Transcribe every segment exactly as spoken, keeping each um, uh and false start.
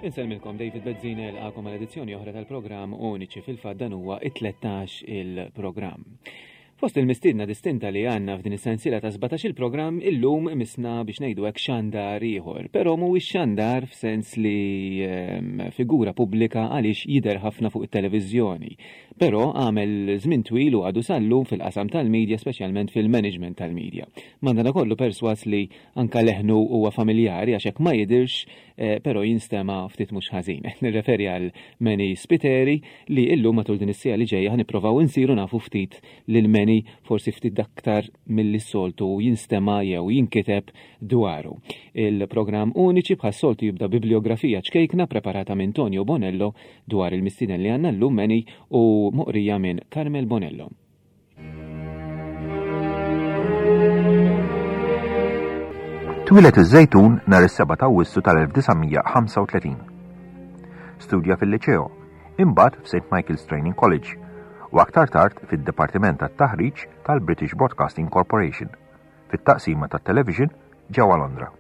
Insellmilkom, David Bezzina jilqagħkom għal edizzjoni oħra tal-programm Uniċi. Fil-fatt dan huwa it-tlettax il-programm. Fost il-mistiedna distinta li għandna f'din is-sensiela ta' sbatax il-programm, illum misna biex ngħidu hekk xandar ieħor, però mhuwiex xandar f'sens li ehm, figura pubblika għaliex jidher ħafna fuq it-televiżjoni. Però għamel żmien twil u għadu sallum fil-qasam tal-medja, speċjalment fil-management tal-medja. Mandana kollu perswas li anka leħnu huwa familjari għax hekk ma jidirx, eh, però jinstema ftit mhux ħażin. Nirreferi għal Manny Spiteri li illum matul din is-sija li ġejja ħa nipprovaw insiru nafu ftit lil Manny, forsi ftit aktar milli soltu jinstema jew jinkiteb dwaru. Il-programm Uniċi bħas-soltu jibda bibliografija ċkejkna preparata minn Tonio Bonello dwar il-mistieden li għandna llum, Manny, u moqrija minn Carmel Bonello. Twieled iż-Żejtun nhar is-sebgħa ta' Awwissu tal-elf disa' mija ħamsa u tletin. Studja fil-Liċeo, imbagħad f'Saint Michael's Training College u aktar tard fid-Dipartiment tat-Taħriġ tal-British Broadcasting Corporation fit-taqsima tat-television ġewwa Londra.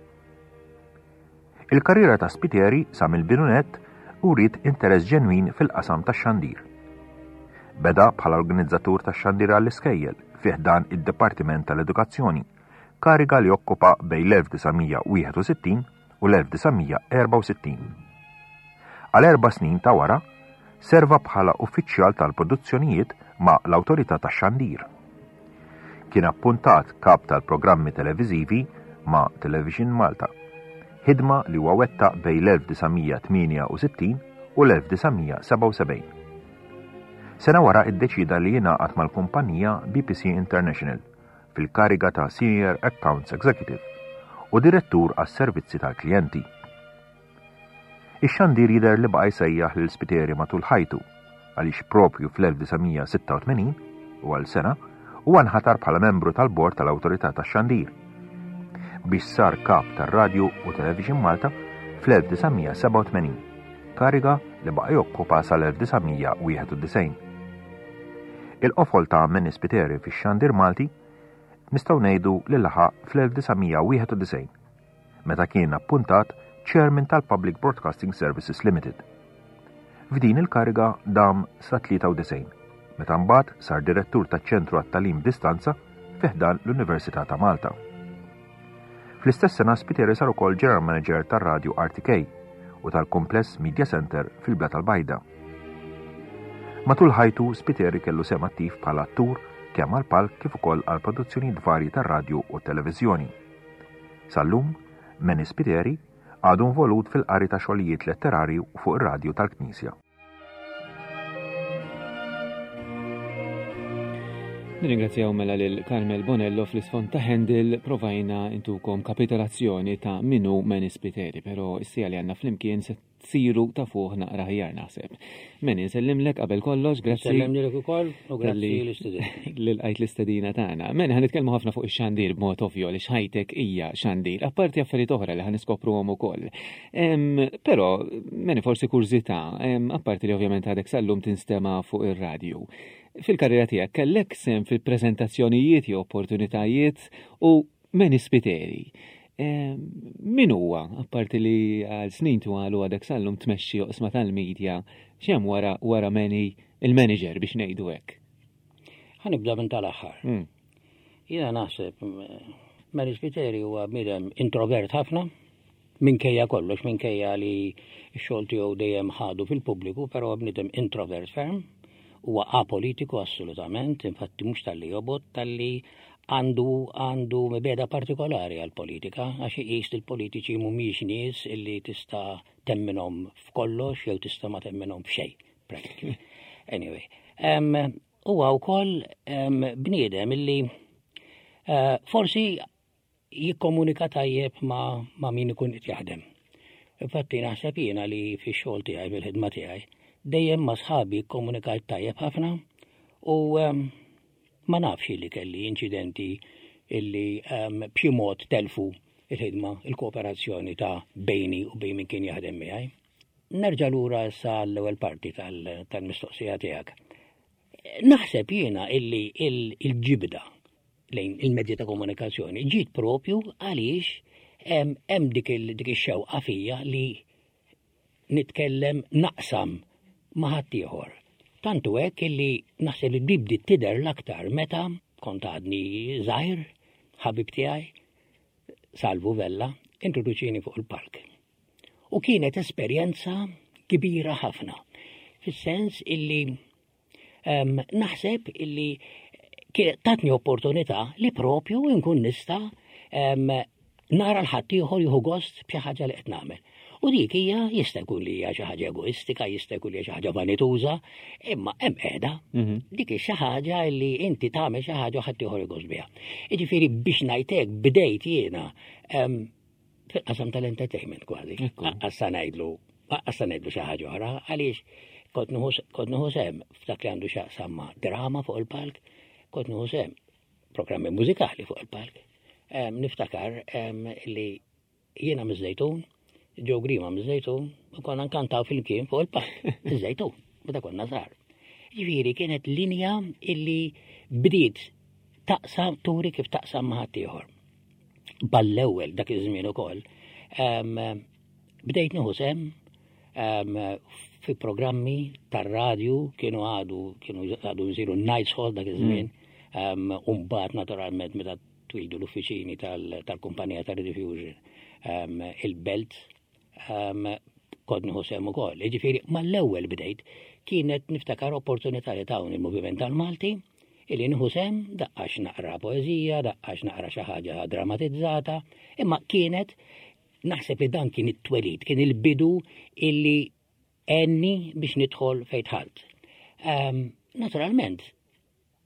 Il-karriera ta' Spiteri sa mill-bidu nett uriet interess ġenwin fil-qasam tax-xandir. Beda bħala organizzatur tax-xandir għall-iskejjel fi ħdan id-Dipartiment tal-Edukazzjoni, kariga li okkupa bejn l-elf disa' mija wieħed u sittin u l-elf disa' mija erbgħa u sittin. Għal erba' snin ta' wara, serva bħala uffiċjal tal-produzzjonijiet ma' l-Awtorità tax-Xandir. Kien appuntat kap tal-programmi televiżivi ma' Television Malta, ħidma li huwa wettaq bejn l-elf disa' mija tmienja u sittin u l-elf disa' mija sebgħa u sebgħin. Sena wara iddeċida li jingħaqad mal-kumpanija B P C International fil-kariga ta' Senior Accounts Executive u direttur għas-servizzi tal-klijenti. Ix-xandir jidher li baqa' jsejjaħ lil Spiteri matul ħajtu, għaliex propju fl-elf disa' mija sitta u tmenin u għal sena huwa nħatar bħala membru tal-bord tal-Awtorità tax-Xandir biex sar kap tar-Radju u Television Malta fl-elf disa' mija sebgħa u tmenin, kariga li baqa' jokkupa sal-elf disa' mija wieħed u disgħin. Il-qofol ta' Manny Spiteri fix-xandir Malti nistgħu ngħidu li laħaq fl-elf disa' mija wieħed u disgħin meta kien appuntat Chairman tal-Public Broadcasting Services Limited. F'din il-kariga dam sa tlieta u disgħin, meta mbagħad sar direttur taċ-Ċentru għat-Tagħlim Distanza fi ħdan l-Università ta' Malta. Fl-istess sena Spiteri sar ukoll General Manager tar-Radju R T K u tal-Kumpless Media Center fil-Blat tal-Bajda. Matul ħajtu Spiteri kellu sehem attiv bħala attur kemm għal palk kif ukoll għal produzzjonijiet varji tar-radju u televiżjoni. Sal-lum, Manny Spiteri għadu involut fil-qari ta' xogħlijiet letterarju fuq ir-radju tal-Knisja. Nirringrazzjaw mela lil Carmel Bonello. Fl-isfond ta' Handel provajna intukom kapitolazzjoni ta' min hu Manny Spiteri, pero is-siegħa li għandna flimkien se tsiru ta' fuq naqra aħjar naħseb. Manny, nsellimlek qabel kollox, grazzi. Sellimlek ukoll u grazzi Talli l-istudenti. Li lqajt l-istedina tagħna. Manny, ħa nitkellmu ħafna fuq ix-xandir b'mod ovvju li ħajtek hija xandir, apparti affarijiet oħra li ħa niskopruhom ukoll. Em, Però, Manny, forsi kurżità, em, apparti li ovvjament għadek sallum tinstema fuq ir-radju. Fil-karriera tiegħek kellek sehem fil-preżentazzjonijiet jew opportunitajiet u Manny Spiteri, Em, Min huwa, apparti li għal snin twal u għadek sallum tmexxi oqsma tal-medja, x'hemm wara wara Manny il-manager biex ngħidu hekk? Ħa nibda minn tal-aħħar. Mm. Jiena naħseb mm, Manny Spiteri huwa bniedem introvert ħafna, minkejja kollox, minkejja li x-xogħol tiegħu dejjem ħadu fil-pubbliku, però bniedem introvert ferm, huwa apolitiku assolutament, infatti mhux talli jobgħod, talli għandu għandu mibegħda partikolari għal-politika, għax iqis li l-politiċi mhumiex nies illi tista' temminhom f'kollox jew tista' ma temminhom f'xejn, practically. Anyway, um, huwa wkoll um, bniedem illi uh, forsi jikkomunika tajjeb ma, ma min ikun qed jaħdem. Infatti naħseb jiena li fix-xogħol tiegħi, fil-ħidma tiegħi, dejjem ma' sħabi kkomunikajt tajjeb ħafna u um, ma nafx li kelli inċidenti illi um, b'xi mod telfu il-ħidma, il-kooperazzjoni ta' bejni u bejn min kien jaħdem miegħi. Nerġa' lura issa l-ewwel parti tal- tal-mistoqsija tiegħek. Naħseb jiena illi il- il-ġibda lejn il-mezzi ta' komunikazzjoni ġiet propju għaliex hemm hemm dik il- dik ix-xewqa fija li nitkellem, naqsam ma' ħaddieħor. Tantu hekk illi naħseb li bdiet tidher l-aktar meta kont għadni żgħir, ħabib tiegħi, Salvu Vella, introduċini fuq il-palk. U kienet esperjenza kbira ħafna. Fis-sens illi um, naħseb illi tatni opportunità li propju nkun nista' um, nara l-ħaddieħor jieħu gost b'xi ħaġa li qed nagħmel. U dik hija jista' jkun li hija xi ħaġa egoistika, jista' jkun li hija xi ħaġa vanituża, imma hemm qiegħda. Mhm. Dik hi xi ħaġa li inti tagħmel xi ħaġa u ħaddieħor jieħu gost biha. Jiġifieri biex ngħidlek bdejt jiena fil-qasam tal-entertainment kważi. Issa ngħidlu, issa ngħidlu xi ħaġa oħra, għaliex kont nieħu sehem f'dak li għandu x'jaqsam ma' drama fuq il-palk, kont nieħu sehem programmi mużikali fuq il-palk. Niftakar li jiena miż-Żejtun, Joe Grima miż-Żejtun, u konna nkantaw flimkien fuq il-palk, iż-Żejtun, meta konna żgħar. Ġifieri kienet linja illi bdiet taqsam, turi kif taqsam ma' ħaddieħor. Ball-ewwel dak iż-żmien ukoll, bdejt nieħu sehem fi programmi tar-radju, kienu għadu kienu għadu jsiru Nights Hall dak iż-żmien, mm. u mbagħad naturalment meta twildu l-uffiċini tal-kumpanija ta' Rediffusion il-Belt, kont nieħu sehem ukoll. Jiġifieri mal-ewwel bdejt, kienet niftakar opportunità li tawni il-Moviment tal-Malti illi nieħu sehem, daqqax naqra poeżija, daqqax naqra xi ħaġa dramatizzata, imma kienet naħseb li dan kien it-twelid, kien il-bidu illi għenni biex nidħol fejn dħalt. Naturalment,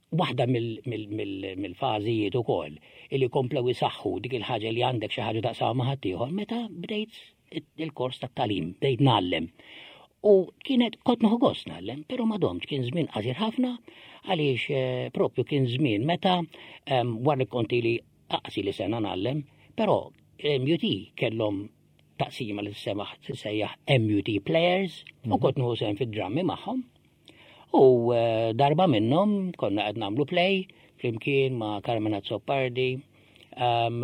waħda mill-fażijiet ukoll illi komplew isaħħu dik il-ħaġa li għandek xi ħaġa taqsam ma' ħaddieħor, meta bdejt il-kors tat-tagħlim, bdejt ngħallem. U kienet kont nieħu gost ngħallem, però ma domtx, kien żmien qasir ħafna, għaliex eh, propju kien żmien meta wara li kont ili aqsi li sena ngħallem, però M U T kellhom taqsima li semaħ sejjaħ M U T Players u mhm. kont nieħu sehem fid-drammi magħhom. U eh, darba minnhom konna qed nagħmlu play flimkien ma' Carmen Azzopardi um,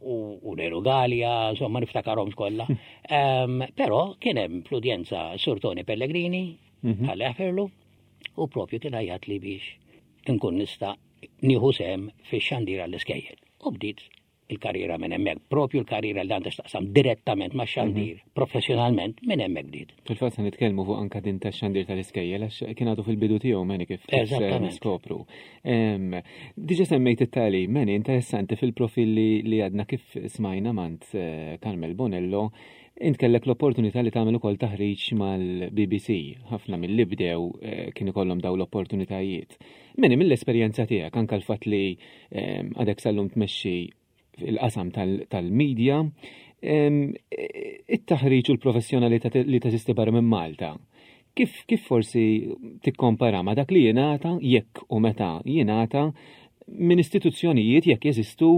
u, u Nero Gallia, insomma niftakarhom kollha. Um, però kien hemm fl-udjenza Sur Tony Pellegrini, mhm. Alla jaħfirlu, u propju kien għajjatli biex nkun nista' nieħu sehem fix-xandir għall-iskejjel. U bdiet il-karriera minn hemmhekk, propju l-karriera li għandha x'taqsam direttament ma' xandir, mhm. professjonalment minn hemmhekk bdiet. Fil-fatt se nitkellmu fuq anka din tax-xandir tal-iskejjel għax kien għadu fil-bidu tiegħu, Manny, kif niskopru. Diġà semmejt it-tagħlim, Manny, interessanti fil-profil li għadna kif smajna mingħand eh, Carmel Bonello, int kellek l-opportunità li tagħmel ukoll taħriġ mal-B B C. Ħafna mill-li bdew eh, kien ikollhom daw l-opportunitajiet. Manny, mill-esperjenza tiegħek, anka l-fatt li għadek sal-lum tmexxi il-qasam tal-medja, it-taħriġ u l-professjonalità li teżisti barra minn Malta. Kif, kif forsi tikkompara ma dak li jingħata, jekk u meta jingħata, minn istituzzjonijiet, jekk jeżistu,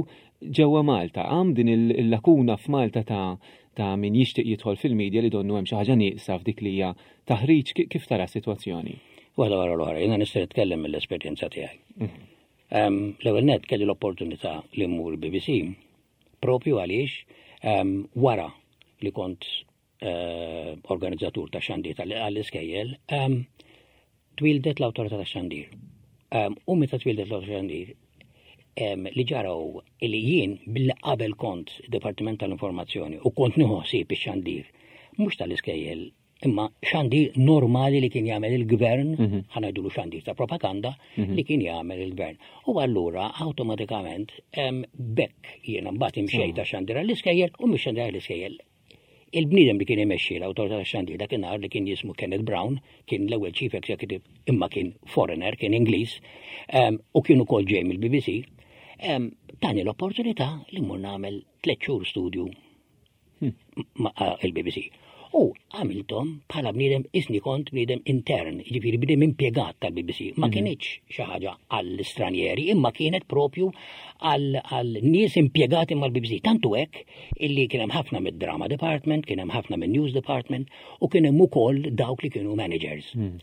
ġewwa Malta? Għam din il-lakuna f'Malta ta' ta' min jixtieq jidħol fil-medja li donnu hemm xi ħaġa nieqsa f'dik li hija taħriġ, kif tara s-sitwazzjoni? Waħda wara l-oħra, jiena nista' nitkellem mill-esperjenza tiegħi. Mhm. L-ewwel net kelli l-opportunità li mmur B B C propju għaliex wara li kont eh, organizzatur ta' xandir tal-iskejjel, twildet l-awtorità ta' xandir. U meta twildet l-awtorità xandir, li ġara li jien billi qabel kont Departiment tal-Informazzjoni u kont nieħu ħsieb ix-xandir, mhux tal-iskejjel imma xandir normali li kien jagħmel il-gvern, mhm. ħa ngħidulu xandir ta' propaganda mhm. li kien jagħmel il-gvern. U allura awtomatikament bekk jiena mbagħad imxejt ta' xandir għall-iskejjel u mhux xandir għall-iskejjel. Il-bniedem li kien imexxi l-awtorità tax-xandir dakinhar, li kien jismu Kenneth Brown, kien l-ewwel chief executive, imma kien foreigner, kien Ingliż, u kien ukoll ġej mill-B B C, tani l-opportunità li mmur nagħmel tliet xhur studju hmm. ma' il-B B C. U għamilthom bħala bniedem isni kont bniedem intern, ġifieri bniedem impjegat tal-B B C. Ma mhm. kinitx xi ħaġa għall-istranieri, imma kienet propju għal nies impjegati mal-B B C. Tantu hekk illi kien hemm ħafna mid-drama department, kien hemm ħafna mid-news department u kien hemm ukoll dawk li kienu managers. Mhm.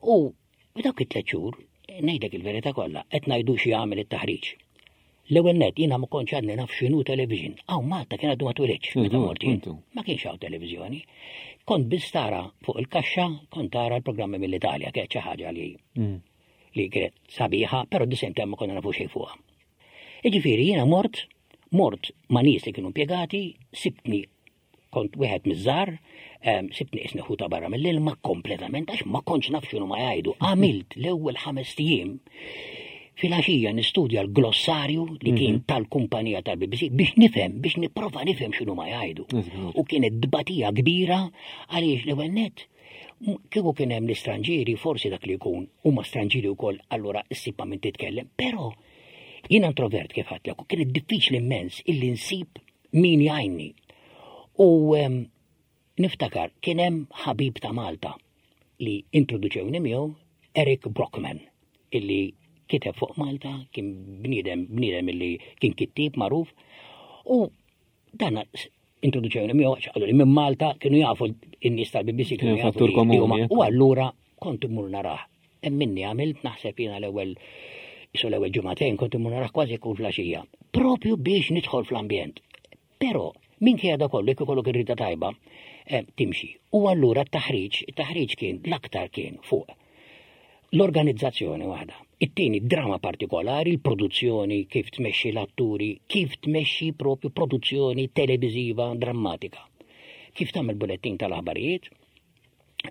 U dawk it-tliet xhur, ngħidlek il-verità kollha, qed ngħidu xi jagħmel it-taħriġ. L-ewwel net jiena ma kontx għadni naf x'inhu television. Hawn Malta kien għadu ma twilidx meta Żgur, mort jien. puntu. Ma kienx hawn televiżjoni. Kont biss tara fuq il-kaxxa, kont tara l-programmi mill-Italja, kienet xi ħaġa li Mm. li kienet sabiħa, però di same time ma konna nafu xejn fuqha. Jiġifieri jiena mort, mort ma' nies li kienu impjegati, sibtni kont wieħed miż-żgħar, em, sibtni qisni ħuta barra mill-ilma kompletament għax ma kontx naf x'inhu ma jgħidu. Għamilt l-ewwel ħames ijiem filgħaxija nistudja l-glossarju li kien tal-kumpanija tal-B B C biex nifhem, biex nipprova nifhem x'inhu ma jgħidu. Żgur. U kienet dbatija kbira għaliex l-ewwel net m- kieku kien hemm l-istranġieri, forsi dak li jkun huma stranġieri wkoll, allura issib ma' min titkellem, però jiena introvert kif għedtlek u kienet diffiċli immens illi nsib min jgħinni. U em, niftakar kien hemm ħabib ta' Malta li introduċewni miegħu, Eric Brockman, illi kiteb fuq Malta, kien bniedem bniedem illi kien kittib magħruf u dan introduċewni miegħu għax qalu li minn Malta kienu jafu n-nies tal-B B C kienu Kien jafu fattur li- li komuni, huma- ekku. U allura kont immur narah. Hemm minni għamilt naħseb jiena l-ewwel isu l-ewwel ġimagħtejn kont immur narah kważi kull filgħaxija. Propju biex nidħol fl-ambjent. Però minkejja da kollu, jekk ikollok ir-rida tajba, eh, timxi. U allura t-taħriġ, it-taħriġ kien l-aktar kien fuq l-organizzazzjoni waħda. It-tieni drama partikolari, il-produzzjoni, kif tmexxi l-atturi, kif tmexxi propju produzzjoni televiżiva drammatika. Kif tagħmel bullettin tal-aħbarijiet.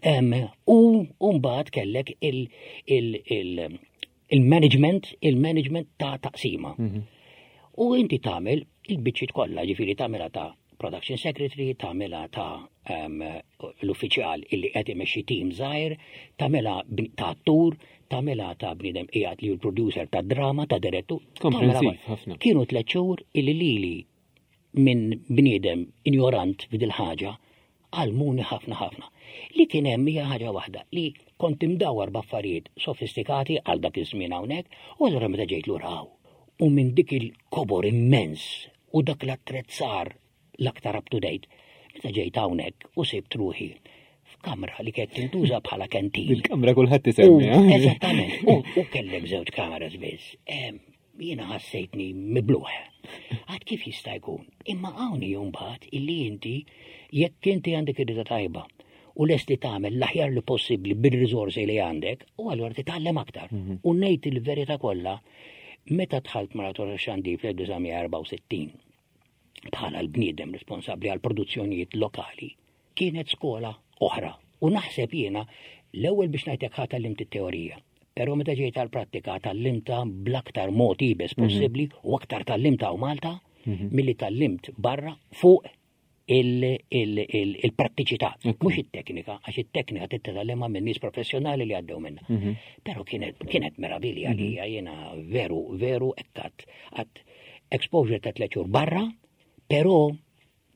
Em, U mbagħad kellek il- il- il- il-management, il-management ta' taqsima. U inti tagħmel il-biċċiet kollha, ġifieri tagħmilha ta' production secretary, tagħmilha ta' um, l-uffiċjal illi qed imexxi team żgħir, tagħmilha bn- ta' attur, tagħmilha ta' bniedem qiegħed li hu l-producer ta' drama, ta' direttur. Komprensiv tagħmilha ħafna. Kienu tliet xhur illi lili minn bniedem ignorant f'dil ħaġa għallmuni ħafna ħafna. Li kien hemm hija ħaġa waħda li kont imdawar b'affarijiet sofistikati għal dak iż-żmien hawnhekk u allura meta ġejt lura hawn. U minn dik il-kobor immens u dak l-attrezzar l-aktar up to date, meta ġejt hawnhekk u sibt ruħi f'kamra li kienet tintuża bħala canteen. Il-kamra kulħadd isemmi. U- eh? Eżattament. U u kellek żewġ kameras biss. Em, Jiena ħassejtni mibluħ. Għad kif jista' jkun? Imma hawn mbagħad illi inti jekk inti għandek ir tajba u lest li tagħmel l-aħjar li possibbli bil-riżorsi li għandek, u allura titgħallem aktar. U ngħid il-verità kollha, meta dħalt mal-Awtorità Xandir fl-elf disa' mija erbgħa u sittin bħala l-bniedem responsabbli għal produzzjonijiet lokali, kienet skola oħra. U naħseb jiena l-ewwel biex ngħidlek ħa tgħallimt it-teorija. Però meta ġejt għal-prattika tgħallimtha bl-aktar mod iebes possibbli u aktar tgħallimtha hawn Malta milli tgħallimt barra fuq il-prattiċità, mhux it-teknika, għax it-teknika titgħallimha minn nies professjonali li għaddew minnha. Però kienet kienet meravilja li jiena veru, veru ekkat għat exposure ta' tliet xhur barra, però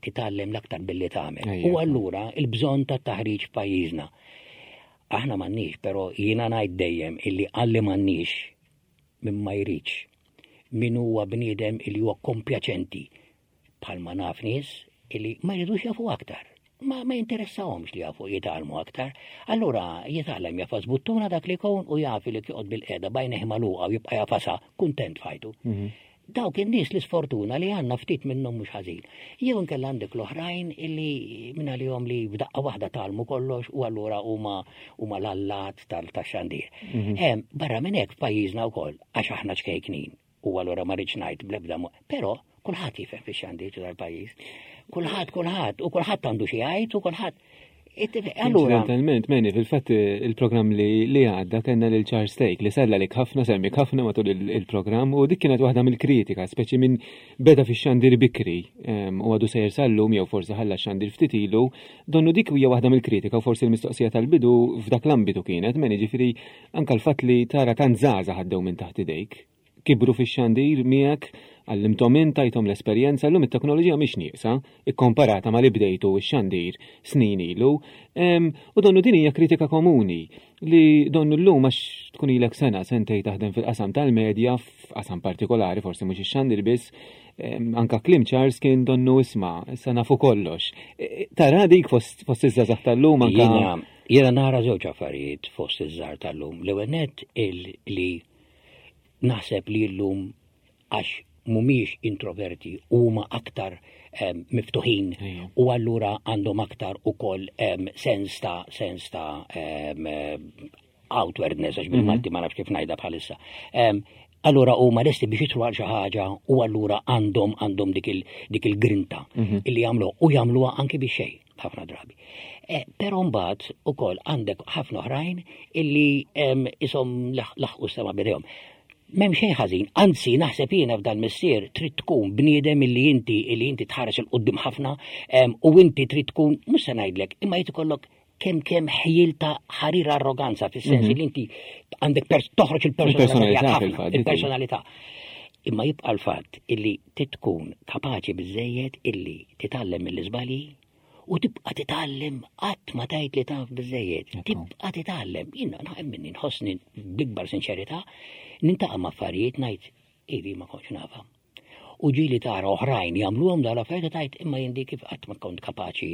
titgħallem l-aktar billi tagħmel. Ejja. U allura il-bżonn ta' taħriġ f'pajjiżna. Aħna m'għandniex, però jiena ngħid dejjem illi għalli m'għandniex min ma jridx, min huwa bniedem illi huwa kompjaċenti bħalma naf nies illi ma jridux jafu aktar. Ma, ma jinteressahomx li jafu jitgħallmu aktar. Allura jitgħallem jagħfas buttuna dak li jkun u jaf li joqgħod bilqiegħda b'għajnejh magħluqa u jibqa' jagħfasha kuntent f'ħajtu. Dawk in-nies li sfortuna li għandna ftit minnhom mhux ħażin. Jew inkella għandek l-oħrajn illi minn għalihom li f'daqqa waħda tgħallmu kollox u allura huma huma l-allat tal-tax-xandir. Em, Barra minn hekk f'pajjiżna wkoll għax aħna ċkejknin u allura ma rridx ngħid bl-ebda mo- però kulħadd jifhem fix-xandir tal-pajjiż. Kulħadd, kulħadd, u kulħadd għandu xi jgħid u kulħadd. Allura, Incidentalment, Meni, fil-fatt il-programm li li għadda kellna lil Charles Thake li sellem ħafna, semmik ħafna matul il- il-programm u dik kienet waħda mill-kritika, speċi minn beda fix-xandir bikri em, u għadu sejjer sal-lum jew forsi ħalla xandir ftit ilu, donnu dik hija waħda mill-kritika u forsi l-mistoqsija tal-bidu f'dak l-ambitu kienet, Meni, ġifieri anka l-fatt li tara tant żgħażagħ għaddew minn taħt idejk, kibru fix-xandir miegħek, għallimthom int, tajthom l-esperjenza, llum it-teknoloġija mhix nieqsa, ikkomparata ma li bdejtu x-xandir snin ilu. Em, U donnu din hija kritika komuni li donnu llum għax tkun ilek sena, sentej taħdem fil-qasam tal-medja, f'qasam partikolari, forsi mhux ix-xandir biss, em, anka kliem Charles kien donnu isma', issa nafu kollox. E, e, Tara dik fost fost iż-żgħażagħ tal-lum anka Jiena jiena nara żewġ affarijiet fost iż-żgħar tal-lum. L-ewwel net il li naħseb li llum għax mhumiex introverti, huma aktar em, miftuħin Ejja. u allura għandhom aktar ukoll em, sens ta' sens ta' em, eh, outwardness, għax bil-Malti ma nafx kif ngħidha bħalissa. Em, Allura huma lesti biex jidħlu għal xi ħaġa u allura għandhom għandhom dik il- dik il-grinta illi jagħmlu u jagħmluha anki biex xejn ħafna drabi. Eh, Però mbagħad ukoll għandek ħafna oħrajn illi em, ishom laħ- laħqu sema bidejhom. M'hemm xejn ħażin, anzi naħseb jiena f'dan missier trid tkun bniedem illi inti illi inti tħares 'il quddiem ħafna em, u inti trid tkun mhux se ngħidlek, imma jrid ikollok kemm kemm ħjiel ta' ħarir arroganza fis-sens li inti għandek pers toħroġ il-personalità Il-personalità tiegħek ħafna, fil-fatt, dik hi. il-personalità. Imma jibqa' l-fatt illi titkun kapaċi biżejjed illi titgħallem mill-iżbalji u tibqa' titgħallem qatt ma tgħid li taf biżejjed. Tibqa' titgħallem. Jiena naħem minni nħossni bl-ikbar sinċerità niltaqa' ma' affarijiet ngħid ivi ma kontx nafha. U ġieli tara oħrajn jagħmluhom dal affarijiet u tgħid imma jien di kif qatt ma kont kapaċi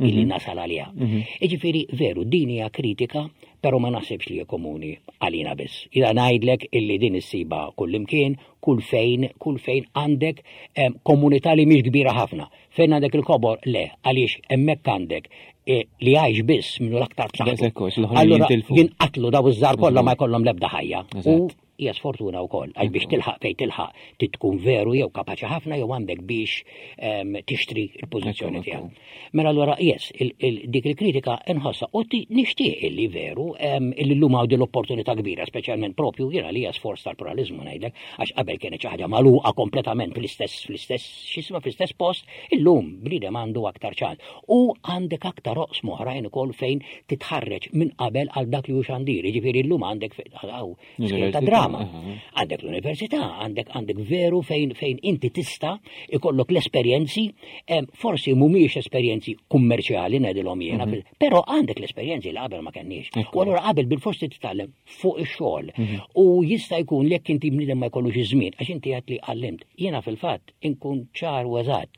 illi nasal għaliha. Jiġifieri veru din hija kritika, però ma naħsibx li hija komuni għalina biss. Ila ngħidlek illi din issiba kullimkien, kull fejn, kull fejn għandek em, komunità li mhix kbira ħafna. Fejn għandek il-kobor, le, għaliex hemmhekk għandek eh, li għajx biss minnu l-aktar b'saħħtu. Daqshekk hux, l-oħrajn Allura jintilfu. jinqatlu daw iż-żgħar kollha ma jkollhom l-ebda ħajja. U Eżatt. hija sfortuna wkoll, għax biex tilħaq fejn tilħaq trid tkun veru jew kapaċi ħafna jew għandek biex em, tixtri l-pożizzjoni Ekku, tiegħek. Mela allura yes, il, il, dik il-kritika nħossa u ti- nixtieq illi veru em, illi llum hawn din l-opportunità kbira, speċjalment propju jiena li hija sforz tal-pluralizmu ngħidlek, għax qabel kienet xi ħaġa magħluqa kompletament fl-istess fl-istess x'isma fl-istess post, illum bniedem għandu aktar ċans. U għandek aktar oqsma oħrajn ukoll fejn titħarreġ minn qabel għal dak li hu xandir. Jiġifieri llum għandek fe- għaw, skejjel ta' Università, drama. aha. Għandek l-università, għandek għandek veru fejn fejn inti tista' ikollok l-esperjenzi, em, forsi mhumiex esperjenzi kummerċjali ngħidilhom jiena, mm però għandek l-esperjenzi li qabel ma kenniex. U allura qabel bil-forsi titgħallem fuq ix-xogħol. U jista' jkun li jekk inti bniedem ma jkollux iż-żmien, għax inti għedt li għallimt. Jiena fil-fatt inkun ċar u eżatt.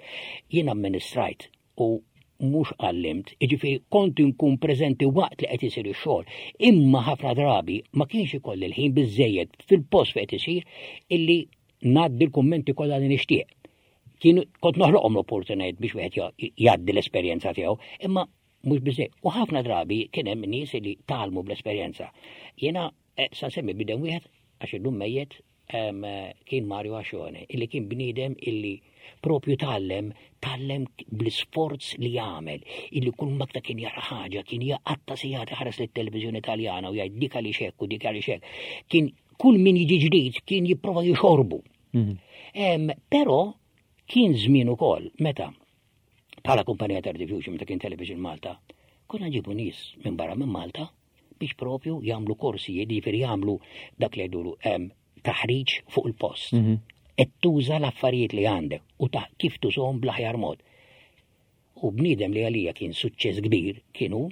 Jiena amministrajt u mhux għallimt, jiġifieri kont inkun preżenti waqt li qed isir ix-xogħol, imma ħafna drabi ma kienx ikolli l-ħin biżejjed fil-post fejn qed isir illi ngħaddi l-kummenti kollha li nixtieq. Kienu kont noħloqhom l-opportunitajiet biex wieħed ja- jgħaddi l-esperjenza tiegħu, imma mhux biżejjed. U ħafna drabi kien hemm nies li tgħallmu bl-esperjenza. Jiena eh, sa nsemmi bniedem wieħed għax illum mejjet em, eh, kien Mario Ascione, illi kien bniedem illi propju tgħallem, tgħallem bl-isforz li jagħmel, illi kull makta kien jara ħaġa, kien jaqatta sigħat iħares lit-televiżjoni Taljana u jgħid dik għaliex hekk u dik għaliex hekk. Kien kull min jiġi ġdid kien jipprova jixorbu. Em, Però kien żmien ukoll meta bħala kumpanija ta' Diffusion meta kien Television Malta, konna nġibu nies minn barra minn Malta biex propju jagħmlu korsijiet, jiġifieri jagħmlu dak li jgħidulu em, taħriġ fuq il-post. Qed tuża l-affarijiet li għandek u ta' kif tużhom bl-aħjar mod. U bniedem li għalija kien suċċess kbir kienu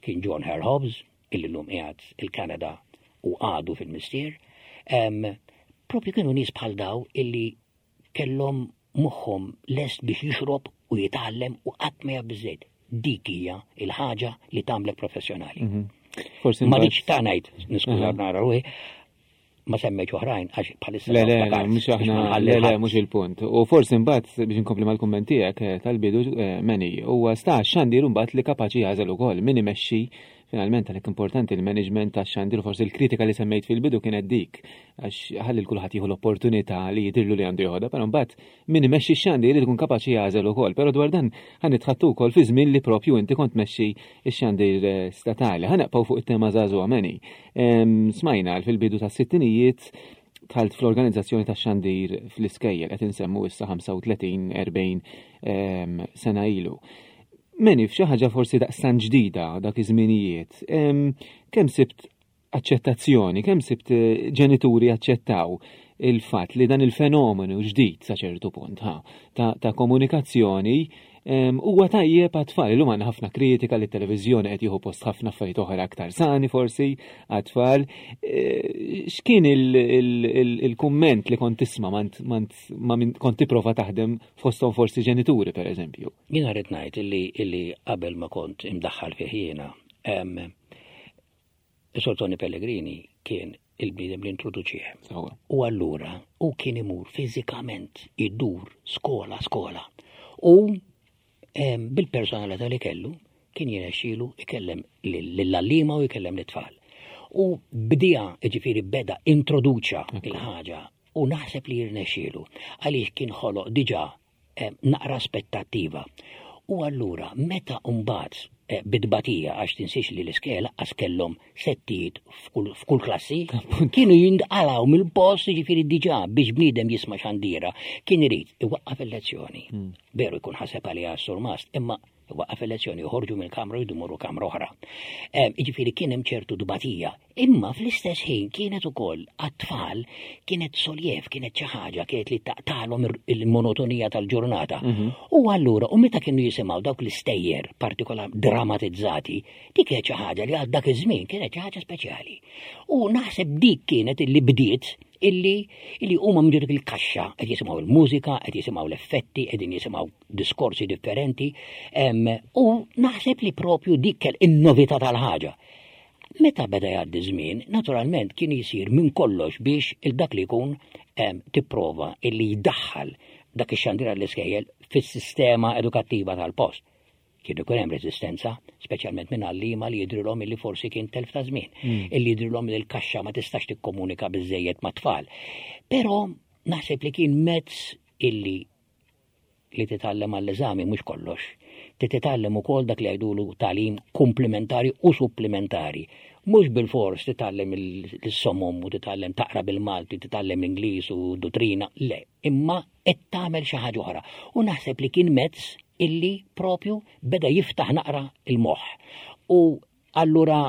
kien John Hare Hobbs, illi llum qiegħed il-Kanada u għadu fil-mistier, em, propju kienu nies bħal daw illi kellhom moħħhom lest biex jixrob u jitgħallem u qatt ma jaf biżejjed. Dik hija il-ħaġa li tagħmlek professjonali. Forsi Ma mbagħad- rridx ta' ngħid, niskuża nara ruħi, ma semmejtx oħrajn għax bħalissa Le, le, ma le, naftakarx, mhux biex aħna, ma nħalli le, le, ħadd. mhux il-punt. U forsi mbagħad biex inkompli mal-kumment tiegħek eh, tal-bidu eh, Manny, huwa sta xandir mbagħad li kapaċi jagħżel ukoll min imexxi finalment għalhekk importanti il-management tax-xandir forsi l-kritika li semmejt fil-bidu kienet dik għax ħalli l-kulħadd jieħu l-opportunità li jidhirlu li għandu joħodha, però mbagħad min imexxi x-xandir irid ikun kapaċi jagħżel ukoll, però dwar dan ħa nitħaddtu wkoll fi żmien li propju inti kont tmexxi x-xandir eh, statali. Ħa nibqgħu fuq it-tema żagħżugħa Manny. Em, Smajna fil-bidu tas-sittinijiet dħalt fl-organizzazzjoni ta' xandir fl-iskejjel qed insemmu issa ħamsa u tletin erbgħin em, sena ilu. Manny, f'xi ħaġa forsi daqstan ġdida dak iż-żminijiet, em, kemm sibt aċċettazzjoni, kemm sibt eh, ġenituri aċċettaw il-fatt li dan il-fenomenu ġdid sa ċertu punt ha, ta', ta' komunikazzjoni em, huwa tajjeb għat-tfal. Illum għandna ħafna kritika li t-televiżjoni qed jieħu post ħafna affarijiet oħra aktar sani forsi għat-tfal. Eh, X'kien il-kumment li kont tisma' mant ma' min kont tipprova taħdem fosthom forsi ġenituri pereżempju? Jiena rrid ngħid illi illi qabel ma kont imdaħħal fih jiena, em, Is-Sur Tony Pellegrini kien il-bniedem li introduċih. U allura u kien imur fiżikament idur skola skola. U bil-personalità li kellu kien jirnexxielu ikellem lill-għalliema u jkellem l-tfal. U bdija, ġifieri, beda introduċa il-ħaġa u naħseb li jirnexxielu għaliex kien ħoloq diġà naqra aspettattiva. U allura meta mbagħad eh, bit-tbatija, għax tinsiex li l-iskejjel għax kellhom settijiet f'kull klassi, kienu jindqalaw mill-post, ġifieri diġà biex bniedem jisma' xandira, kien irid iwaqqaf il-lezzjoni. Hmm. Veru jkun ħaseb għaliha s-surmast, imma iwaqqaf il-lezzjoni, joħorġu mill-kamra u jdumuru kamra oħra. Ġifieri kien hemm ċertu tbatija, imma fl-istess ħin kienet ukoll għat-tfal kienet soljev, kienet xi ħaġa kienet li taqtalhom il-monotonija tal-ġurnata. Mhm. U allura, u meta kienu jisimgħu dawk l-istejjer partikolar dramatizzati, dik kienet xi ħaġa li għal dak iż-żmien kienet xi ħaġa speċjali. U naħseb dik kienet illi bdiet illi illi huma minn dik il-kaxxa qed jisimgħu il-mużika, qed jisimgħu l-effetti, qegħdin jisimgħu diskorsi differenti, u naħseb li propju dik kell in-novità tal-ħaġa. Meta beda jgħaddi żmien, naturalment kien jisir minn kollox biex il-dak li jkun tipprova illi jdaħħal dak ix-xandira l-iskejjel fis-sistema edukattiva tal-post. Kien ikun hemm reżistenza, speċjalment minn għalliema li jidrilhom illi forsi kien telf ta' żmien, mm. illi jidrilhom li l-kaxxa ma tistax tikkomunika biżejjed ma' tfal. Però naħseb li kien mezz illi li titgħallem għall-eżami mhux kollox. Titgħallem ukoll dak li jgħidulu tagħlim komplementari u supplementari. Mhux bil-fors titgħallem il-somom u titgħallem taqra bil-Malti, titgħallem l-Ingliż u dottrina, le, imma qed tagħmel xi ħaġa oħra. U naħseb li kien mezz illi propju beda jiftaħ naqra il-moħħ. U allura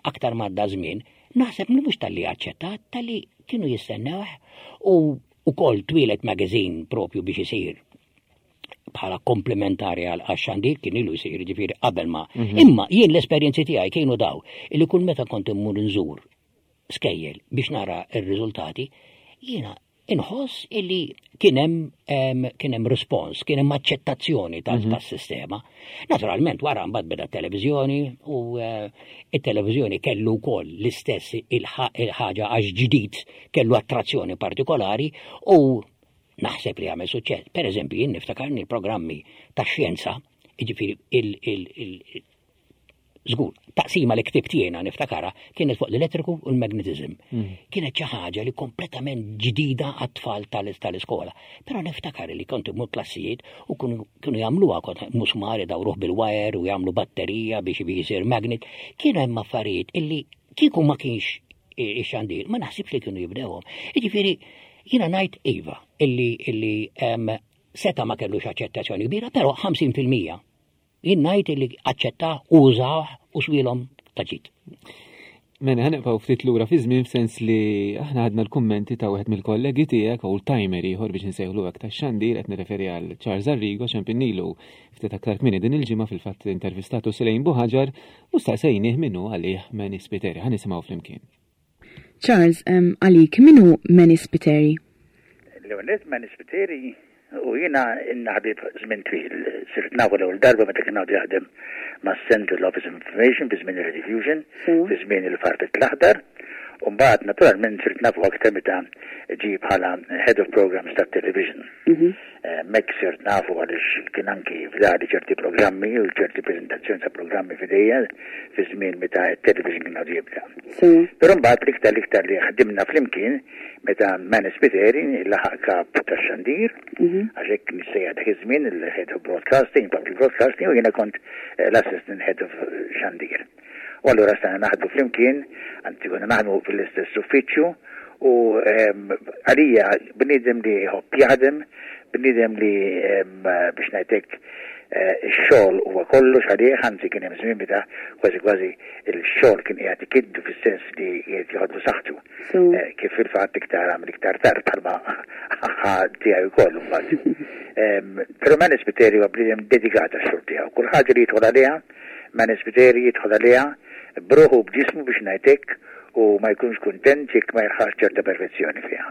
aktar m'għadda żmien, naħseb li mhux talli aċċettat, talli kienu jistennewh u ukoll twieled magazine propju biex isir bħala komplementari għal xandir, kien ilu jsir ġifieri qabel ma. Mhm. Imma jien l-esperjenzi tiegħi kienu daw illi kull meta kont immur nżur skejjel biex nara r-riżultati, jiena inħoss illi kien hemm kien hemm respons, kien hemm aċċettazzjoni mhm. tas-sistema. Naturalment wara mbagħad beda t-televiżjoni u eh, it-televiżjoni kellu wkoll l-istess il-ħaġa għax ġdid kellu attrazzjoni partikolari u naħseb li għamel suċċess. Per eżempju, jien niftakarni l-programmi ta' xjenza, jiġifieri il żgur, taqsima li ktibt jiena niftakara kienet fuq l-elettriku u l-magnetizm. Mm. Kienet xi ħaġa li kompletament ġdida għat-tfal tal-iskola. Però niftakar li kont imur klassijiet u kienu jagħmluha, kont musmar dawruh bil-wire u jagħmlu batterija biex jisir magnet. Kienu hemm affarijiet illi kieku ma kienx ix-xandir, ma naħsibx li kienu jibdewhom. Jiġifieri jiena ngħid iva illi illi seta ma kellux aċċettazzjoni kbira, però ħamsin fil-mija jien ngħid li aċċetta, użaw u swielhom ta' ġid. Mela, ħa nibqgħu ftit lura fi żmien, f'sens li aħna għadna l-kummenti ta' wieħed mill-kollegi tiegħek, old timer ieħor biex nsejħlu hekk tax-xandir, qed nirreferi għal Charles Arrigo, ċempilnielu ftit aktar kmieni din il-ġimgħa, fil-fatt intervistatu Selejn Buħaġar u staqsejnieh min hu għalih Manny Spiteri. Ħa nisimgħu flimkien. Charles, għalik min hu Manny Spiteri? L-ewwel, Manny Spiteri u jiena ħbieb żmien twil. Sirt nafu l-ewwel darba meta kien għadu jaħdem ma' Central Office of Information fi żmien il-Rediffusion, fi żmien il-Farfett l-Aħdar. U mbagħad naturalment sirt nafu aktar meta ġi bħala Head of Programs tat-television. Mek sirt nafu għaliex kien anki fdali ċerti programmi u ċerti prezentazzjoni ta' programmi f'idejja fi żmien meta t-television kien għadu jibda. Però mbagħad l-iktar l-iktar li ħdimna flimkien meta Manny Spiteri laħaq kap tax-xandir, għax hekk nissejjaħ dak iż-żmien, il-Head of Broadcasting, Public Broadcasting, u jiena kont eh, l-Assistant Head of Xandir. U allura stajna naħdmu flimkien, anzi konna naħdmu fil-istess uffiċċju, u ehm, għalija bniedem li jħobb jaħdem, bniedem li ehm, biex ngħidlek eh, ix-xogħol huwa kollox għalih, anzi kien hemm żmien meta kważi kważi il-xogħol kien qiegħed ikiddu fis-sens li qiegħed joħodlu saħħtu. Eh, kif fil-fatt iktar għamel iktar tard bħalma ħa tiegħu wkoll imbagħad. Ehm, Però Manny Spiteri huwa bniedem dedikat għax-xogħol tiegħu. Kull ħaġa li jidħol għaliha, Manny Spiteri jidħol għaliha b'ruħu, b'ġismu biex ngħidlek, u ma jkunx kuntent jekk ma jilħaqx ċerta perfezzjoni fiha.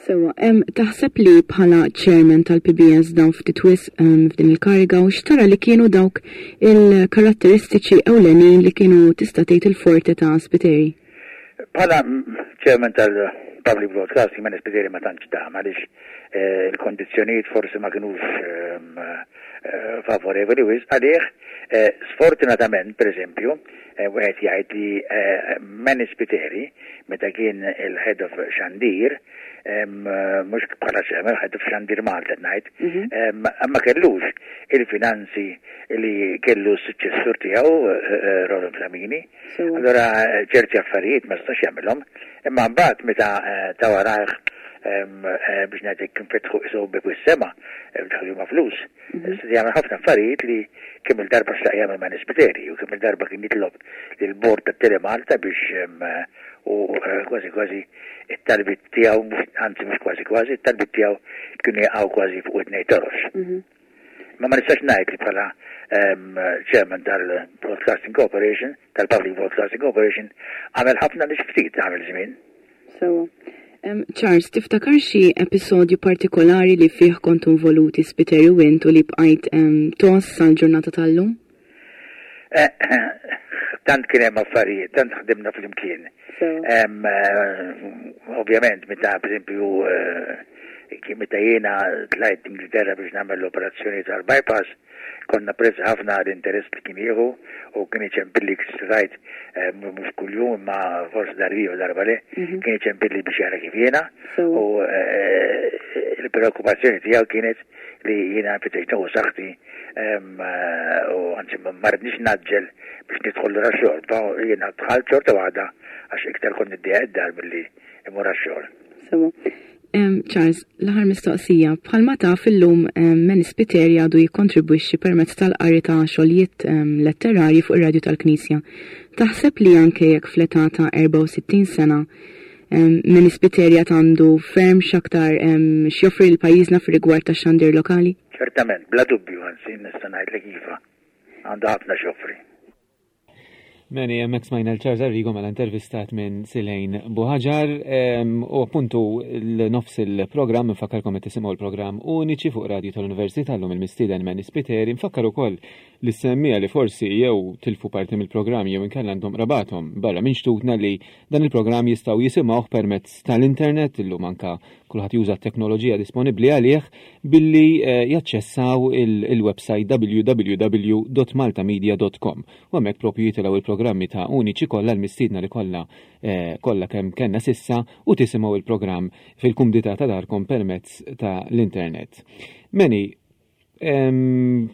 Sewa, em, taħseb li bħala chairman tal-P B S dam ftit wisq em, f'din il-kariga u x'tara li kienu dawk il-karatteristiċi ewlenin li kienu tista' tgħid il-forti ta' Spiteri? Bħala chairman tal-Public Broadcasting Manny Spiteri ma tantx dam għaliex eh, il-kondizzjonijiet forsi ma kinux ehm, eh, favorevoli wisq għalih. eh, Sfortunatament, per eżempju, wieħed jgħid li Manny Spiteri, meta kien il-head of Xandir, mhux bħala chairman, head of Xandir Malta ngħid, mhm. ma kellux il-finanzi li kellu s-suċċessur tiegħu, Roland Flamini. Allora ċerti affarijiet ma stax jagħmilhom, imma mbagħad meta ta' warajh, biex ngħidlek, kien fetħu isu bieb is-sema, daħlu ma' flus. Mhm. Jagħmel ħafna affarijiet li kemm il-darba xtaq jagħmel Manny Spiteri u kemm il-darba kien jitlob lill-bord ta' Telemalta biex, u kważi kważi it-talbit tiegħu, anzi mhux kważi kważi, it-talbit tiegħu kienu jaqgħu kważi fuq it-tnejn torox. Mhm. Ma ma nistax ngħid li bħala chairman tal-Broadcasting Corporation, tal-Public Broadcasting Corporation, għamel ħafna li ftit għamel żmien. So, um, Charles, tiftakar xi episodju partikolari li fih kontu involuti Spiteri u int u li bqajt um, tgħożż sal-ġurnata tal-lum? Eh, tant kien hemm affarijiet, tant ħdimna flimkien. Eh, ovvjament, meta pereżempju eh, meta jiena tlajt Ingilterra biex nagħmel l-operazzjoni tal-bypass, konna prezz ħafna l-interess li kien jieħu u kien iċempilli rajt eh, mhux kuljum imma forsi darba u darba le, mhm. kien iċempilli biex jara kif jiena u eh, il-preokkupazzjoni tiegħu kienet li jiena nfittex nieħu saħħti eh, u anzi ma rridniex ngħaġġel biex nidħol lura xogħol. Jiena dħalt xorta waħda għax iktar kont niddejjaq id-dar milli immur għax-xogħol. Charles, l-aħħar mistoqsija, bħalma taf illum Manny Spiteri għadu jikkontribwixxi permezz tal-qari ta' xogħlijiet letterarji fuq ir-radju tal-Knisja. Taħseb li anke jekk fl-età ta' erbgħa u sittin sena Manny Spiteri għandu ferm x'aktar x'joffri lil pajjiżna fir-rigward ta' xandir lokali? Ċertament, bla dubju, anzi nista' ngħidlek iva. Għandu ħafna x'joffri. Meni, hemmhekk smajna l-Charles Arrigo mela intervistat minn Silejn Buħaġar u appuntu l-nofs il-programm. Nfakkarkom qed tisimgħu l-programm Uniċi fuq Radio tal-Università, llum il-mistieden Manny Spiteri. Nfakkar ukoll li semmija li forsi jew tilfu parti mill-programm jew inkella għandhom qrabathom barra minn xtutna li dan il-programm jistgħu jisimgħuh permezz tal-internet. Illum anka kulħadd juża t-teknoloġija disponibbli għalih billi eh, jaċċessaw il-website w w w punt maltamedia punt com u hemmhekk propju jitilgħu il-programmi ta' Uniċi kollha, l-mistiedna li kollha eh, kollha kemm kellna s'issa, u tisimgħu il-programm fil-kumdità ta' darkom permezz ta' l-internet. Manny,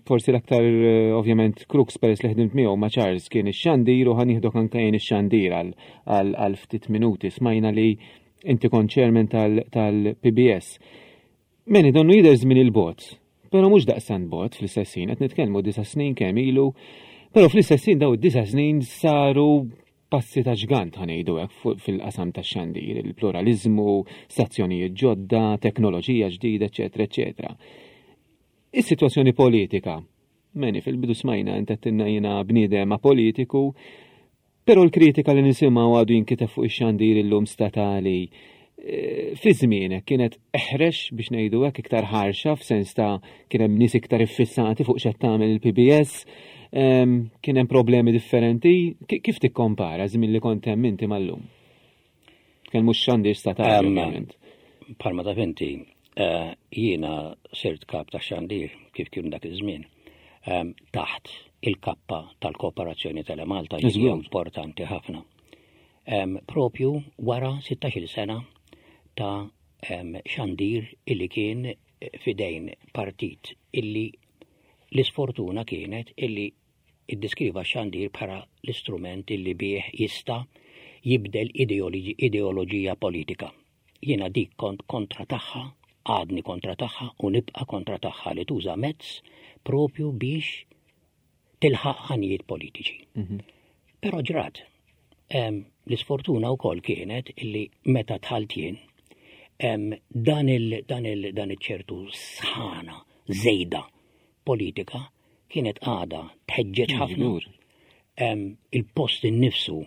forsi l-aktar eh, ovvjament crux, peress li ħdimt miegħu ma' Charles, kien ix-xandir u ħa nieħdok anke jien ix-xandir għal ftit minuti. Smajna li inti kont chairman tal-P B S. Manny, donnu jidher żmien il-bogħod, però mhux daqstant bogħod. Fl-istess ħin qed nitkellmu disa' snin kemm ilu, però fl-istess ħin daw id-disa' snin saru passi ta' ġgant, ħa ngħidu hekk, fil-qasam ta' xandir, il-pluralizmu, stazzjonijiet ġodda, teknoloġija ġdida, eċetera, eċetera. Is-sitwazzjoni politika, Manny, fil-bidu smajna inti għedtilna jiena bniedem apolitiku, però l-kritika li nisimgħu għadu jinkiteb fuq ix-xandir illum statali, e, fi żmienek kienet eħrex, biex ngħidu hekk, iktar ħarxa, f'sens ta' kien hemm nies iktar iffissati fuq x'qed tagħmel il-P B S, kien hemm problemi differenti. Kif tikkompara żmien li kont hemm inti mal-lum? Kien mhux xandir statali, ovvjament. Bħalma taf inti, eh, jiena sirt kap ta' xandir kif kien dak iż-żmien taħt il-kappa tal-Kooperazzjoni Telemalta, li hija importanti ħafna. Propju wara sittax-il sena ta' xandir illi kien fidejn partit illi l-isfortuna kienet illi iddeskriva xandir bħala l-istrument illi bih jista' jibdel ideoloġija politika. Jiena dik kont kontra tagħha, għadni kontra tagħha u nibqa' kontra tagħha, li tuża mezz propju biex tilħaq għanijiet politiċi. Mhm. Però ġrat, l-isfortuna wkoll kienet illi meta dħalt jien, dan il dan il dan iċ-ċertu sħana żejda politika kienet għada tħeġġeġ ħafna. Il-post innifsu,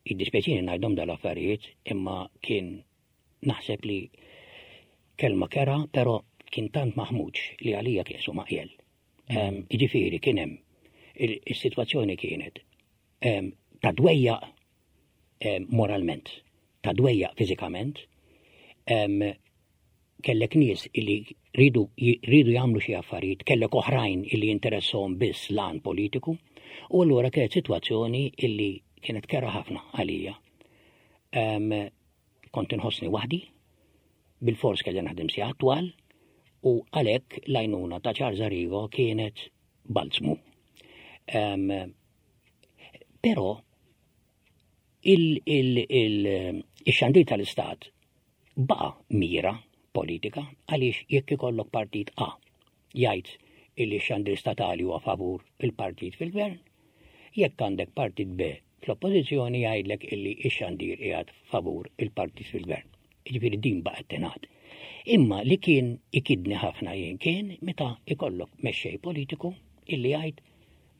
jiddispjaċini ngħidhom dal-affarijiet, imma kien naħseb li kelma kerha, però kien tant maħmuġ li għalija kien su maqjel. Iġifieri kien hemm is-sitwazzjoni kienet ta' dwejjaq. eh, moralment, ta' dwejjaq fiżikament, em, kellek nies illi ridu, ridu jagħmlu xi affarijiet, kellek oħrajn illi jinteressahom biss l-għan politiku, u allura kienet sitwazzjoni illi kienet kerha ħafna għalija. Um, kont inħossni waħdi, bil-fors kelli naħdem sigħat twal, u għalhekk l-għajnuna ta' Charles Arrigo kienet balzmu. Um, però il-xandir tal-istat baqa mira politika, għaliex jekk ikollok partit A jgħid illi xandir statali huwa favur il-partit fil-gvern, jekk għandek partit B fl-oppożizzjoni jgħidlek illi x-xandir qiegħed favur il-partit fil-gvern. Jiġifieri din baqgħet tingħad. Imma li kien ikidni ħafna jien kien meta ikollok mexxej politiku illi jgħid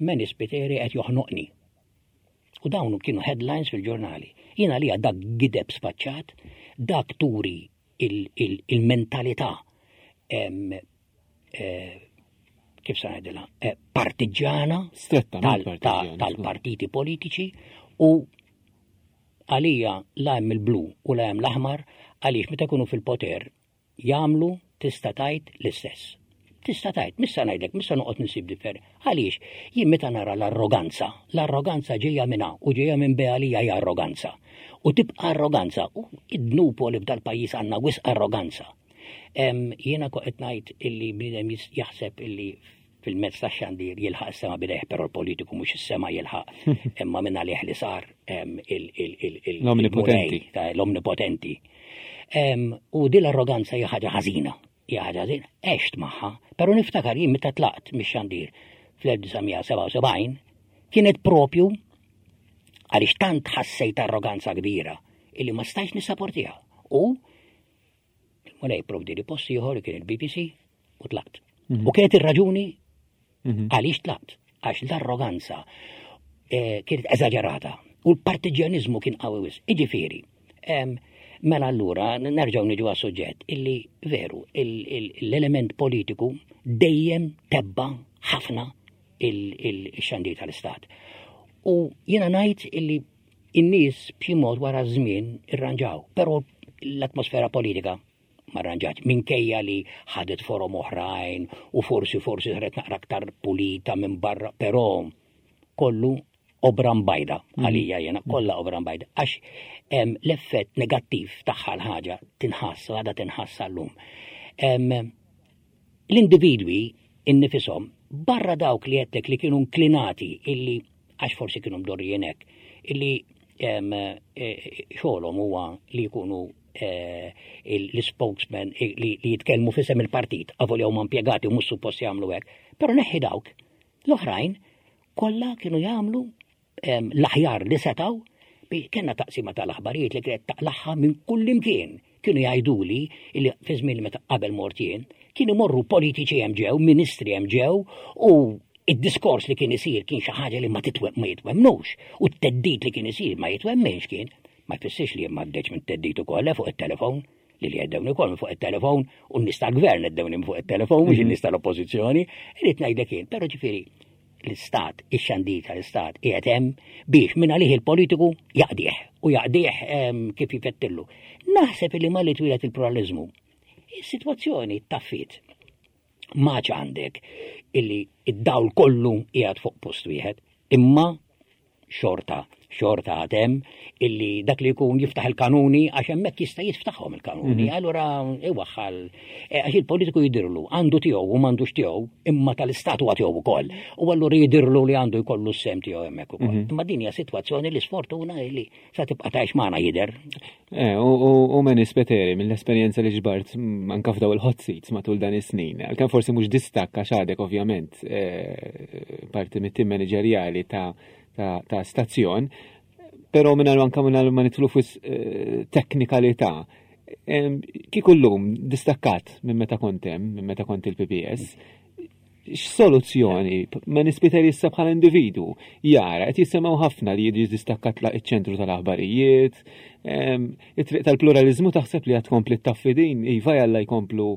Manny Spiteri qed joħnoqni. U dawn kienu headlines fil-ġurnali. Jiena li dak gideb sfaċċat, dak turi il-mentalità eh, kif sa ngħidilha, eh, partiġġana tal-partiti politiċi, u għalija la hemm il-blu u la hemm l-aħmar, għaliex meta jkunu fil-poter jagħmlu, tista' tgħid, l-istess. Tista' tgħid, missa ngħidlek, missa noqgħod nsib differ. Għaliex jien meta nara l-arroganza, l-arroganza ġejja minn A u ġejja minn B, għalija hija arroganza. U tibqa' arroganza, u id-dnub li f'dal pajjiż għandna wisq arroganza. Jiena qed ngħid illi bniedem jaħseb illi fil-mezz ta' xandir jilħaq is-sema b'idejh, però l-politiku mhux is-sema jilħaq, imma minn għalih li sar l-omnipotenti. L-omnipotenti. U din l-arroganza hija ħaġa ħażina, hija ħaġa ħażina, għext magħha, però niftakar jien meta tlaqt mix-xandir fl-elf disa' mija sebgħa u sebgħin kienet propju għaliex tant ħassejt arroganza kbira illi ma stajx nissaportiha. U il-Mulej provdi li post ieħor, kien il-B B C, u tlaqt. Mhm. U kienet ir-raġuni mhm. għaliex tlaqt, għax l-arroganza eh, kienet eżaġerata u l-partiġjanizmu kien qawwi wisq. Iġifieri, mela allura nerġgħu niġu għas-suġġett illi veru l-element politiku dejjem tebba' ħafna il-xandir tal-istat. U jiena ngħid illi in-nies b'xi mod wara żmien irranġaw, però l-atmosfera politika ma rranġatx, minkejja li ħadet forom oħrajn u forsi forsi saret naqra aktar pulita minn barra, però kollu obra mbajda mm. għalija jena, kollha obra mbajda. Għax l-effett negattiv tagħha l-ħaġa tinħass, għadha tinħass għallum. L-individwi innifisom, barra dawk li għedtlek li kienu inklinati illi, għax forsi kienu mdorrijin hekk, illi e, xogħolhom huwa li jkunu e, l-spokesman li jitkellmu f'isem il-partit, avolja huma impjegati u mhux suppost jagħmlu hekk. Però neħħi dawk, l-oħrajn kollha kienu jagħmlu l-aħjar li setaw. Kellna taqsima tal-aħbarijiet li kienet taqlagħha minn kull imkien. Kienu jgħiduli li fi żmien meta qabel mort jien, kienu morru politiċi hemm ġew, ministri hemm ġew, u id-diskors li kien isir kien xi ħaġa li ma titwem ma jitwemnux u t-theddid li kien isir ma jitwemmenx kien. Ma jfissirx li ma għaddejtx minn theddid ukoll fuq it-telefon, li li għeddewni ukoll fuq it-telefon, u n-nies tal-gvern għeddewni fuq it-telefon, mhux in-nies tal-oppożizzjoni, irrid ngħidlek jien, però ġifieri l-istat, ix-xandir tal-istat qiegħed hemm biex minn għalih il-politiku jaqdih u jaqdih kif jifettillu. Naħseb li malli twieled il-pluralizmu, is-sitwazzjoni taffiet. Maċ għandek illi id-dawl kollu qiegħed fuq post wieħed, imma xorta, xorta għad hemm illi dak li jkun jiftaħ il-kanuni, għax hemmhekk jista' jiftaħhom il-kanuni, mhm. allura iwaħħal eh, għax il-politiku jidirlu għandu tiegħu u m'għandux tiegħu, imma tal-istat huwa tiegħu ukoll. U allura jidirlu li għandu jkollu s-sehem tiegħu hemmhekk ukoll. Mhm. Imma din hija sitwazzjoni li sfortuna li sa tibqa' tgħix magħna jidher. Eh, u Manny Spiteri, mill-esperjenza li ġbart anka f'daw il-hot seats matul dan is-snin, għalkemm forsi mhux distakk għax għadek ovvjament eh, parti mit-tim manageriali ta' ta' stazzjon, pero minn anka minn ma nidħlu fuq eh, teknikalità. Kieku llum distakkat minn meta kont hemm, minn meta kont il-P P S, x'soluzzjoni Manny Spiteri issa bħala individu jara? Qed jisimgħu ħafna li jiġi distakkat iċ-ċentru tal-aħbarijiet, it-triq tal-pluralizmu taħseb li għad tkompli ttaffi din, iva jalla jkomplu,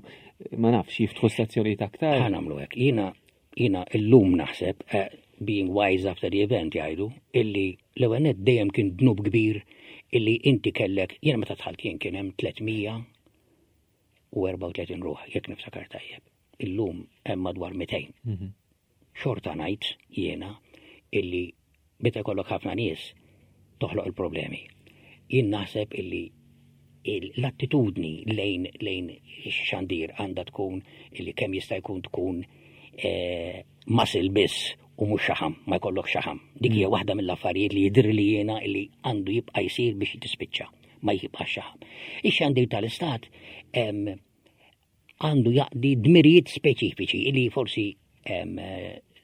ma nafx, jiftħu stazzjonijiet aktar. Ħa nagħmlu hekk, jiena jiena illum naħseb, eh, being wise after the event jgħidu, illi l-ewwel dejjem kien dnub kbir Illi inti kellek, jiena meta dħalt jien kien hemm tliet mija u erbgħa u tletin ruħ, jekk niftakar tajjeb. Illum hemm madwar mitejn. Mhm. Xorta ngħid jiena illi meta jkollok ħafna nies toħloq il-problemi. Jien naħseb illi l-attitudni lejn lejn xandir għandha tkun illi kemm jista' jkun tkun eh, muscle biss u mhux xaħam, ma jkollok xaħam. Dik hija waħda mill-affarijiet li jidher li jiena illi għandu jibqa' jsir biex tispiċċa, ma jibqa' xaħam. Ix-xandir tal-istat għandu jaqdi dmirijiet speċifiċi illi forsi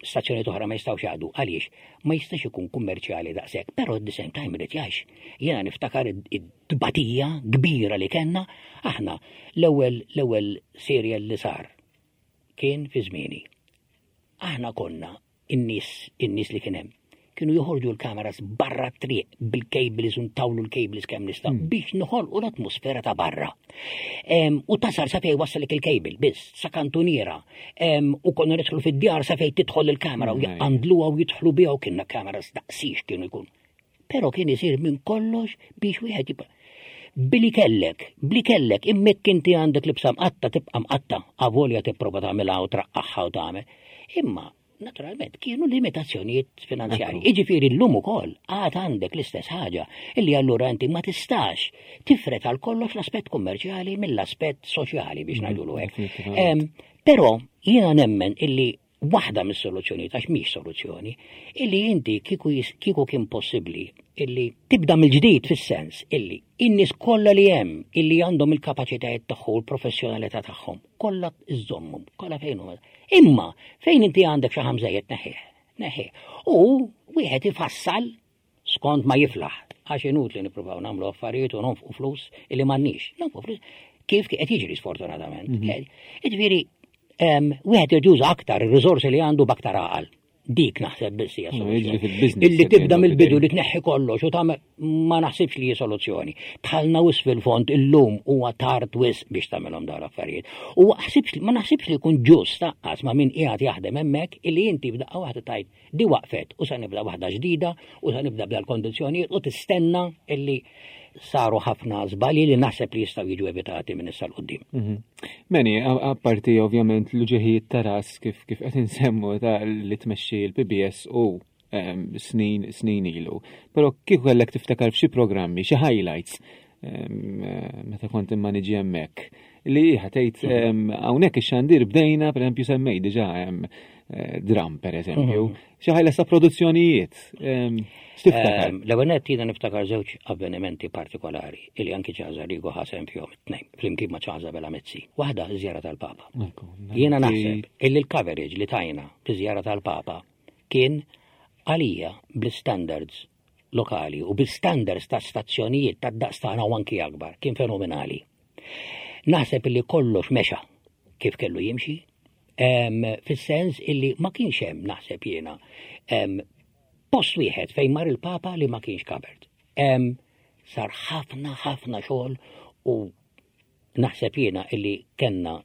stazzjoni oħra ma jistgħux jaqdu. Għaliex? Ma jistax ikun kummerċjali daqshekk, però at the same time irid jgħix. Jiena niftakar id-batija kbira li kellna aħna l-ewwel l-ewwel serial li sar kien fi żmieni. Aħna konna in-nies in-nies li kien hemm kienu joħorġu l-kameras barra t-triq bil-cables u ntawlu l-cables kemm nista' mm. biex noħolqu l-atmosfera ta' barra. U tasal sa fejn wassalek il-cable biss, sa kantuniera. U konna nidħlu fid-djar sa fejn tidħol il-kamera u jaqandluha u jidħlu biha u kienna kameras daqsix kienu jkun. Però kien isir minn kollox biex wieħed jibqa' Bili kellek, bli kellek, immek inti għandek libsa mqatta tibqa' mqatta, avolja tipprova tagħmilha u traqqaħħa u tagħmel. Imma naturalment kienu limitazzjonijiet finanzjarji. Iġifieri llum ukoll għad għandek l-istess ħaġa illi allura inti ma tistax tifret għal kollox l-aspett kummerċjali mill-aspett soċjali, biex mm, ngħidulu hekk. Però jiena nemmen illi waħda mis-soluzzjoni, għax mhix soluzzjoni, illi inti kieku kieku kien possibbli illi tibda mill-ġdid, fis-sens illi in-nies kollha li hemm illi għandhom il-kapaċitajiet tagħhom, il-professjonalità tagħhom, kollha iżommhom, kollha fejn huma. Imma fejn inti għandek xi ħamżejjed neħħih, neħħih. U wieħed ifassal skont ma jiflaħ, għax inutli nippruvaw nagħmlu affarijiet u nonfqu flus illi m'għandniex. Nonfqu flus kif qed jiġri sfortunatament. Mhm. Jiġifieri wieħed irid aktar ir-riżorsi li għandu b'aktar għaqal. Dik naħseb biss hija soluzzjoni. Illi tibda mill-bidu li tneħħi kollox u tagħmel ma naħsibx li hija soluzzjoni. Dħalna wisq fil-fond illum, huwa tard wisq biex tagħmelhom dawn l-affarijiet. U ħsibx ma naħsibx li jkun ġust taqqas ma' min qiegħed jaħdem hemmhekk illi inti f'daqqa waħda tajt di waqfet u sa nibda waħda ġdida u sa nibda b'dal kondizzjonijiet u tistenna illi saru ħafna żbalji li naħseb li jistgħu jiġu evitati minn issa 'l quddiem. Mhm. Manny, apparti ovvjament l-uġigħ ta' ras kif kif qed insemmu ta' li tmexxi l-P B S u snin snin ilu. Però kieku kellek tiftakar f'xi programmi, xi highlights meta kont immaniġi hemmhekk li ħatejt mhm. hawnhekk ix-xandir bdejna, pereżempju semmej diġà eh, dram pereżempju, mhm. xi highlights ta' produzzjonijiet. X'tiftakar? L-ewwel nett jiena niftakar żewġ avvenimenti partikolari illi anki Charles Arrigo ħa sehem fihom it-tnejn flimkien ma' Charles Abela Mizzi. Waħda żjara tal-Papa. Jiena naħseb illi l-coverage li tajna fi żjara tal-Papa kien għalija bl-standards lokali u bil-standards ta' stazzjonijiet ta' daqs tagħna u anki akbar kien fenomenali. Naħseb illi kollox mexa kif kellu jimxi, fis-sens illi ma kienx hemm, naħseb jiena, post wieħed fejn mar il-Papa li ma kienx covered. Sar ħafna ħafna xogħol u naħseb jiena illi kellna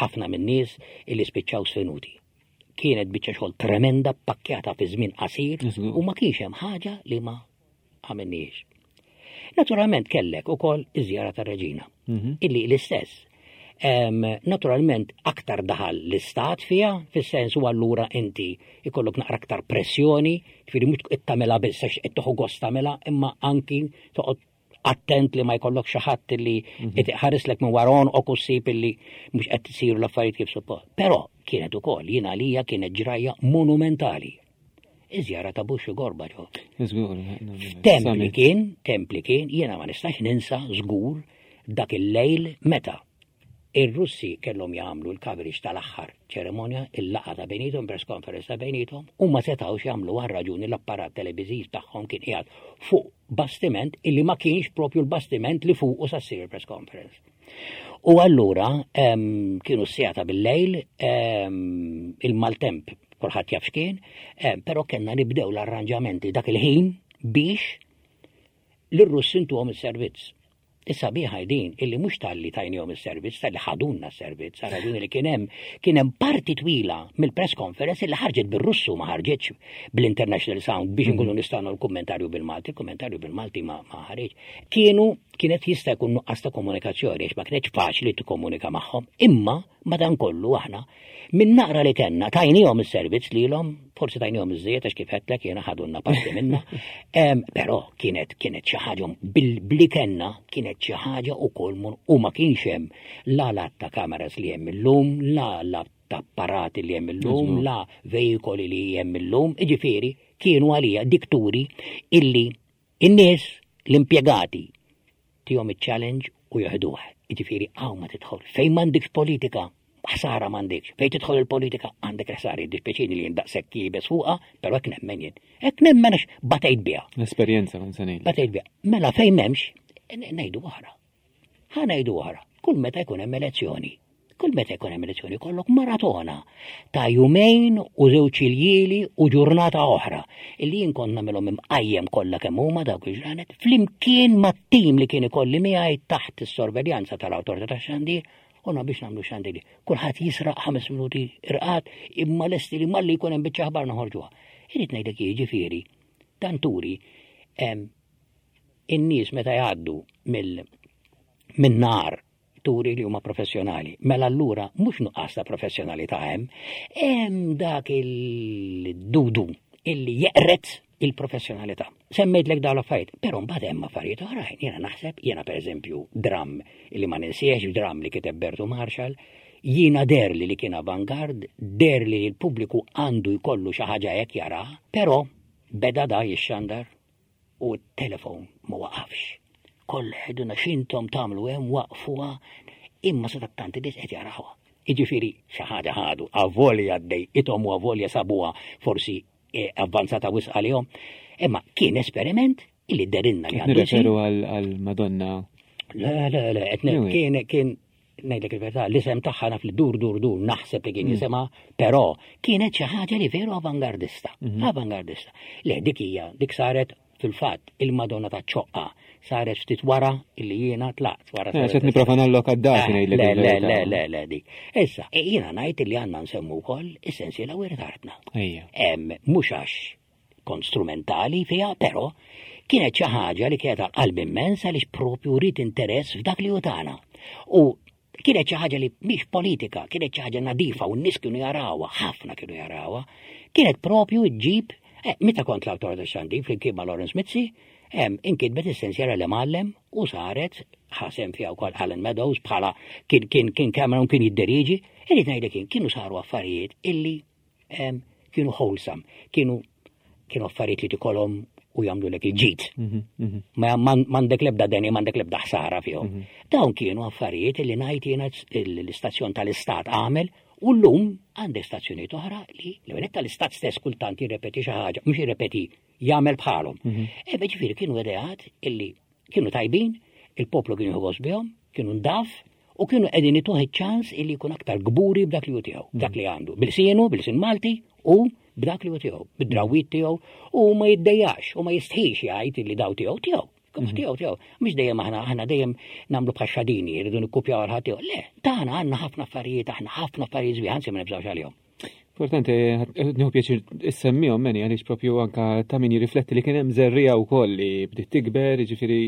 ħafna minn nies illi spiċċaw sfinuti. Kienet biċċa xogħol tremenda pakkjata fi żmien qasir u ma kienx hemm ħaġa li ma għamilniex. Naturalment kellek ukoll iż-żjara tar-Reġina, mhm. illi l-istess. Naturalment aktar daħal l-istat fija, fis-sens u allura inti ikollok naqra aktar pressjoni, ġifieri mhux qed tagħmilha biss għax qed tieħu gost tagħmilha, imma anki toqgħod attent li ma jkollok xi ħadd li mhm. qed iħarislek minn waron u kussib illi mhux qed isiru l-affarijiet kif suppost. Però kienet ukoll jien għalija kienet ġrajja monumentali. Iż-żjara ta' Bush u Gorbachev. Temp li kien, temp li kien, jiena ma nistax ninsa żgur dak il-lejl meta ir-Russi kellhom jagħmlu l-coverage tal-aħħar ċeremonja, il-laqgħa ta' bejnietom, press conference ta' bejnietom, u ma setgħux jagħmlu għal raġuni l-apparat televiżiv tagħhom kien qiegħed fuq bastiment illi ma kienx propju l-bastiment li fuq u sa ssir il-press conference. U allura kienu s-siegħa ta' bil-lejl, il-maltemp kulħadd jaf x'kien, però kellna nibdew l-arranġamenti dak il-ħin biex l-Russi ntuhom is-servizz. Is-sabiħa din illi mhux talli tajnihom is-servizz, talli ħadunna s-servizz, raġuni li kien hemm kien hemm parti twila mill-press conference illi ħarġet bir-Russu, ma ħarġetx bl-International Sound biex nkunu nistgħu l-kummentarju bil-Malti, il-kummentarju bil-Malti ma ma ħareġ. Kienu kienet jista' jkun nuqqas ta' komunikazzjoni għax ma kienx faċli tikkomunika magħhom, imma madankollu aħna minn naqra li kellna tajnihom is-servizz lilhom, forsi tajnihom iż-żejjed għax kif għedtlek jiena ħadunna parti minna. Em, Però kienet kienet xi ħaġa bil- bli kellna, kienet xi ħaġa ukoll mun- u ma kienx hemm la lat ta' kameras li hemm illum, la lat ta' apparati li hemm illum, la veikoli li hemm illum, jiġifieri kienu għalija dikturi illi in-nies, l-impjegati tihom iċ-challenge u joħduh. Jiġifieri hawn ma tidħol. Fejn m'għandekx politika, ħsara m'għandekx. Fejn tidħol il-politika għandek ħsara. Jiddispjaċini li jien daqshekk iebes fuqha, però hekk nemmen jien. Hekk nemmen għax batejt biha. L-esperjenza kont se ngħid. Batejt biha. Mela fejn m'hemmx, ngħidu oħra. Ħa ngħidu oħra. Kull meta jkun hemm elezzjoni. Kull meta jkun hemm elezzjoni kollok maratona ta' jumejn u żewġ iljieli u ġurnata oħra illi jien kont nagħmilhom imqajjem kollha kemm huma dawk il-ġranet flimkien mat-tim li kien ikolli miegħi taħt is-sorveljanza tal-Awtorità tax-Xandir u na biex nagħmlu xandiri. Kulħadd jisraq ħames minuti irqad, imma lesti li malli jkun hemm biċċa aħbar noħorġuha. Irrid ngħidlek, jiġifieri dan turi em, in-nies meta jgħaddu mill min nar turi li huma professjonali. Mela allura mhux nuqqas ta' professjonalità hemm, hemm dak il-dudu illi jeqret il-professjonalità. Semmejtlek dawn l-affarijiet, però mbagħad hemm affarijiet oħrajn. Jiena naħseb, jiena pereżempju dram illi ma ninsiex, dram li kiteb Bertu Marshall, jiena derli li kien avantgard, derli li l-pubbliku għandu jkollu xi ħaġa hekk jara, però beda da jixxandar u t-telefon ma waqafx. Kollha jgħidulna, "X'intom tagħmlu hemm, waqfuha," imma sa tanti nies qed jarawha. Jiġifieri xi ħaġa ħadu, avolja dejqithom u avolja sabuha forsi eh, avvanzata wisq għalihom. Imma kien esperiment illi derinna li għandu jsir. Nirreferu għal Madonna. Le, le, le, etne, Anyway. kien, kien, ngħidlek il-verità, l-isem tagħha naf li dur, dur, dur, naħseb li kien jisimha, però kienet xi ħaġa li veru avangardista, avangardista. Le, dik hija, dik saret fil-fatt il-Madonna ta' ċoqqa saret ftit wara illi jiena tlaqt. Wara Eh, saret Qed nipprova nalloka d-dati Eh, ngħidlek Le, le, il-verità. le, le, le, dik. Issa, e jiena ngħid li għandna nsemmu wkoll is-sensiela Wirt Artna. Ejja. Em, mhux għax kont strumentali fiha, però kienet xi ħaġa li kienet għal qalbi immens għaliex propju rrid interess f'dak li hu tagħna. U kienet xi ħaġa li mhix politika, kienet xi ħaġa nadifa u n-nies kienu jarawha, ħafna kienu jarawha. Kienet propju ġġib, eh, meta kont l-Awtorità tax-Xandir flimkien ma' Lawrence Mizzi, em, inkitbet is-sensiela l-Imgħallem u saret ħasem fiha wkoll Alan Meadows bħala kien kien kien Cameron kien jidderiġi, irrid ngħidlek kien kienu saru affarijiet illi em, kienu wholesome, kienu kienu affarijiet li tikolhom u jagħmlu lek il-ġid. Mhm, mhm. Ma man- m'għandek lebda deni, m'għandek lebda ħsara fihom. Dawn kienu affarijiet li ngħid jiena l-istazzjon tal-istat għamel u llum għandek stazzjonijiet oħra li l tal-istat stess kultant jirrepeti xi ħaġa, mhux jirrepeti, jagħmel bħalhom. E ġifieri kienu ideat illi kienu tajbin, il-poplu kienu jħoss bihom, kienu ndaf u kienu qegħdin ituh iċ-ċans illi jkun aktar gburi b'dak li hu tiegħu, b'dak li għandu, bil-sienu, bil-sin Malti u b'dak li hu tiegħu, bid-drawwiet tiegħu u ma jiddejjax u ma jistħix jgħid illi daw tiegħu tiegħu. Tiegħu tiegħu, mhux dejjem aħna aħna dejjem nagħmlu bħal xadini, rridu nikkupjaw għal ħadd. Le, tagħna għandna ħafna affarijiet, aħna ħafna affarijiet sbieħ, anzi ma nibżgħux għalihom. Importanti, nieħu pjaċir issemmihom, Manny, għaliex propju anka ta' min jirrifletti li kien hemm żerriegħa wkoll li bdiet tikber, jiġifieri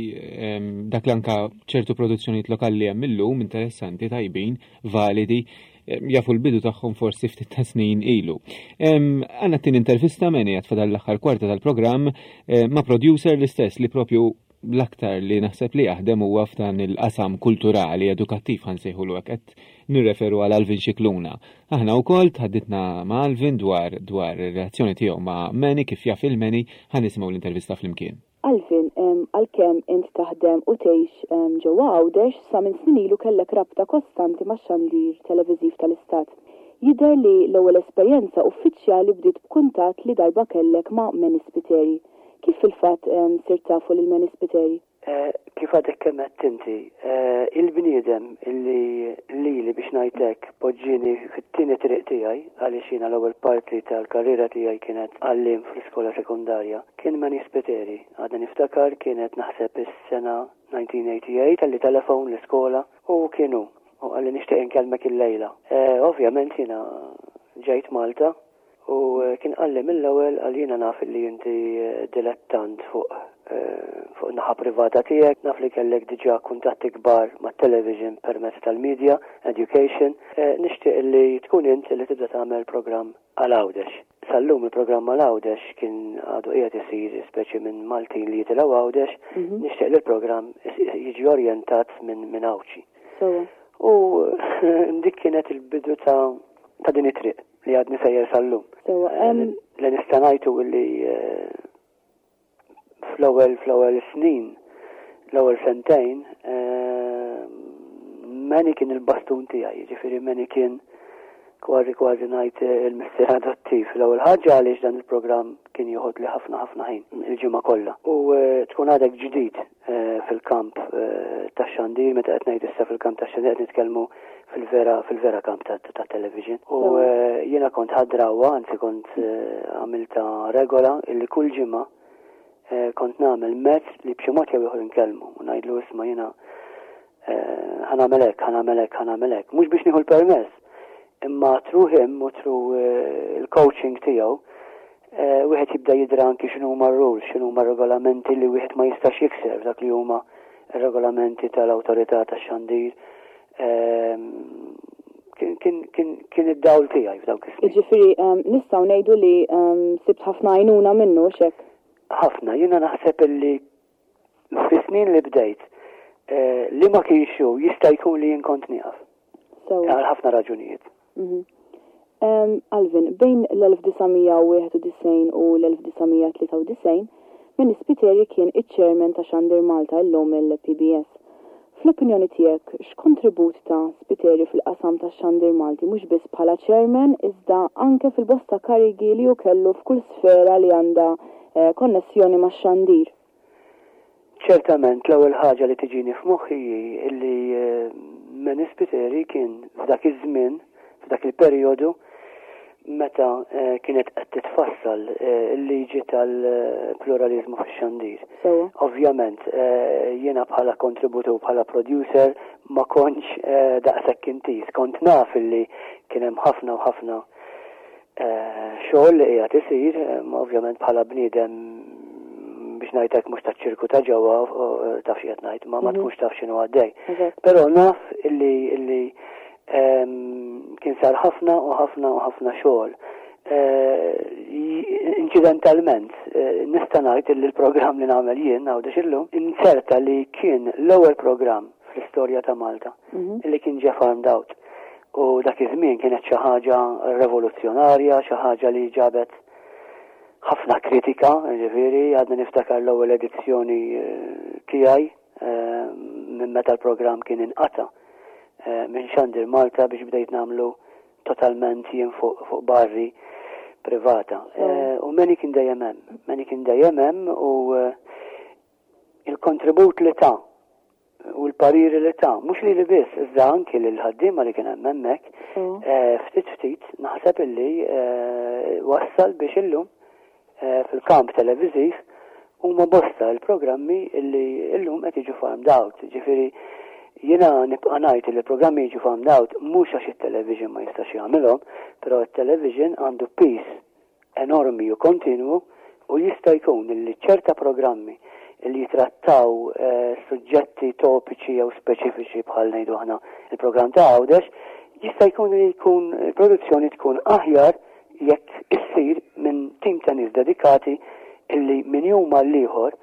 em, dak li anka ċertu produzzjonijiet lokali li hemm illum interessanti, tajbin, validi, em, jafu l-bidu tagħhom forsi ftit ta' snin ilu. Em, Għandna t-tieni intervista, Manny, għad fadal l-aħħar kwarta tal-programm eh, ma' producer l-istess li propju l-aktar li naħseb li jaħdem huwa f'dan il-qasam kulturali, edukattiv ħa nsejħulu hekk, qed nirreferu għal Alvin Scicluna. Aħna wkoll tħadditna ma' Alvin dwar dwar ir-relazzjoni tiegħu ma' Manny, kif jaf il-Manny, ħa nisimgħu l-intervista flimkien. Alvin, em, għalkemm int taħdem u tgħix em, ġewwa Għawdex, sa minn snin ilu kellek rabta kostanti ma' xandir televiżiv tal-Istat. Jidher li l-ewwel esperjenza uffiċjali bdiet b'kuntatt li darba kellek ma' Manny Spiteri. Kif fil-fatt em, sirt tafu lil Manny Spiteri? Eh, kif għadek kemm għedt inti, eh, il-bniedem illi lili, biex ngħidlek, poġġieni fit-tieni triq tiegħi, għaliex jiena l-ewwel parti tal-karriera tiegħi kienet għalliem fl-iskola sekundarja, kien Manny Spiteri. Għadna niftakar, kienet naħseb is-sena elf disa' mija u tmienja u disgħin, talli telefon l-iskola u kienu u qalli, "Nixtieq inkellmek il-lejla." Eh, ovvjament jiena ġejt Malta u kien qalli mill-ewwel, għal jiena naf li inti dilettant fuq fuq naħa privata tiegħek, naf li kellek diġà kuntatti kbar mat-television permezz tal-media, education, nixtieq li tkun int li tibda tagħmel programm għal Għawdex. Sal-lum il-programm għal Għawdex kien għadu qiegħed isir speċi minn Maltin li jitilgħu Għawdex, mhm. nixtieq li l-programm jiġi orjentat minn minn Għawdxi. U dik kienet il-bidu ta' ta' din it-triq li għadni sejjer sal-lum. Li nista' ngħidu li eh, fl-ewwel fl-ewwel snin, l-ewwel sentejn, eh, Manny kien il-bastun tiegħi, jiġifieri Manny kien kważi kważi ngħid il-missier adottiv. L-ewwel ħaġa għaliex dan il-programm kien joħod li ħafna ħafna ħin il-ġimgħa kollha. U eh, tkun għadek ġdid eh, fil-kamp eh, tax-xandir, meta qed ngħid issa fil-kamp tax-xandir qed nitkellmu fil-vera fil-vera kamp ta' television. U jiena kont ħadt drawwa, anzi kont għamilta regola illi kull ġimgħa kont nagħmel mezz li b'xi mod jew ieħor inkellmu u ngħidlu, "Isma', jiena ħa nagħmel hekk, ħa nagħmel hekk, ħa nagħmel hekk." Mhux biex nieħu l-permess, imma through him u through eh, il-coaching tiegħu eh, wieħed jibda jidra anki x'inhu huma rules, x'inhu huma regolamenti li wieħed ma jistax jikser, dak li huma regolamenti tal-awtorità tax-xandir. Ehm, kien id-dawl tiegħi f'dawk is-snin. Jiġifieri ehm, nistgħu ngħidu li ehm, sibt ħafna għajnuna minnu xek. Ħafna, jiena naħseb illi fi snin li bdejt eh, li ma kienx jista' jkun li jien kont nieqaf. Għal ħafna raġunijiet. Mhm. Alvin, bejn l-elf disa' mija u wieħed u disgħin u l-elf disa' mija u tlieta u disgħin, Manny Spiteri kien iċ-chairman ta' Xandir Malta, illum il-P B S. Fl-opinjoni tiegħek, x'kontribut ta Spiteri fil-qasam ta' Xandir Malti, mhux biss bħala chairman, iżda anke fil-bosta karigi li hu kellu f'kull sfera li għandha eh, konnessjoni ma' xandir? Ċertament, l-ewwel ħaġa li tiġini f'moħħi illi eh, Manny Spiteri kien f'dak iż-żmien, f'dak il-perjodu meta eh, kienet qed titfassal eh, il-liġi tal-pluralizmu fix-xandir. Ovvjament, eh, jiena bħala kontributur, bħala producer, ma kontx daqshekk intiż. Kont naf illi kien hemm ħafna u ħafna xogħol li qiegħed isir, ovvjament bħala bniedem, biex ngħidlek, mhux taċ-ċirku ta' ġewwa, taf xi qed ngħid, ma ma mhm. tkunx taf x'inhu għaddej. Però naf illi illi kien sar ħafna u ħafna u ħafna xogħol. Eh, inċidentalment, eh, nista' ngħid li l-programm li nagħmel jien Għawdex Illum, inserta li kien l-ewwel programm fl-istorja ta' Malta mhm. li kien ġie farmed out. U dak iż-żmien kienet xi ħaġa rivoluzzjonarja, xi ħaġa li ġabet ħafna kritika, ġifieri, għadna niftakar l-ewwel edizzjoni eh, tiegħi minn meta l-programm kien inqata' Eh, minn Xandir Malta biex bdejt nagħmlu totalment jien fuq fuq bażi privata. Eh, u Manny kien dejjem hemm, Manny kien dejjem hemm u eh, il-kontribut li ta u l-pariri li ta, mhux li li biss, iżda anki li l-ħaddiema li kien hemm hemmhekk, ftit ftit naħseb illi wassal biex illum fil-kamp televiżiv huma bosta l-programmi illi illum qed jiġu farmed out. Ġifieri jiena nibqa' ngħid li l-programmi jiġu farmed out mhux għax it-television ma jistax jagħmilhom, però it-television għandu piż enormi u kontinwu u jista' jkun li ċerta programmi li jitrattaw eh, suġġetti topiċi jew speċifiċi, bħal ngħidu aħna il-programm ta' Għawdex, jista' jkun li jkun il-produzzjoni tkun aħjar jekk issir minn tim ta' nies dedikati illi minn jum għal ieħor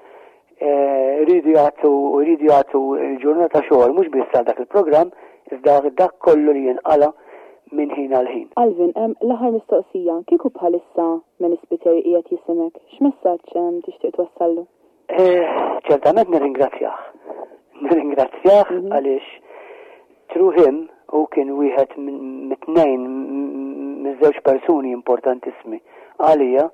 eh, rridu jagħtu rridu jagħtu l-ġurnata xogħol mhux biss għal dak il-programm, iżda dak kollu li jinqala minn ħin għal ħin. Alvin, l-aħħar mistoqsija, kieku bħalissa Manny Spiteri qiegħed jismgħek, x'messaġġ tixtieq twassallu? Eh, ċertament nirringrazzjah. Nirringrazzjah mhm. għaliex through him u kien wieħed mit-tnejn, miż-żewġ persuni importantissimi għalija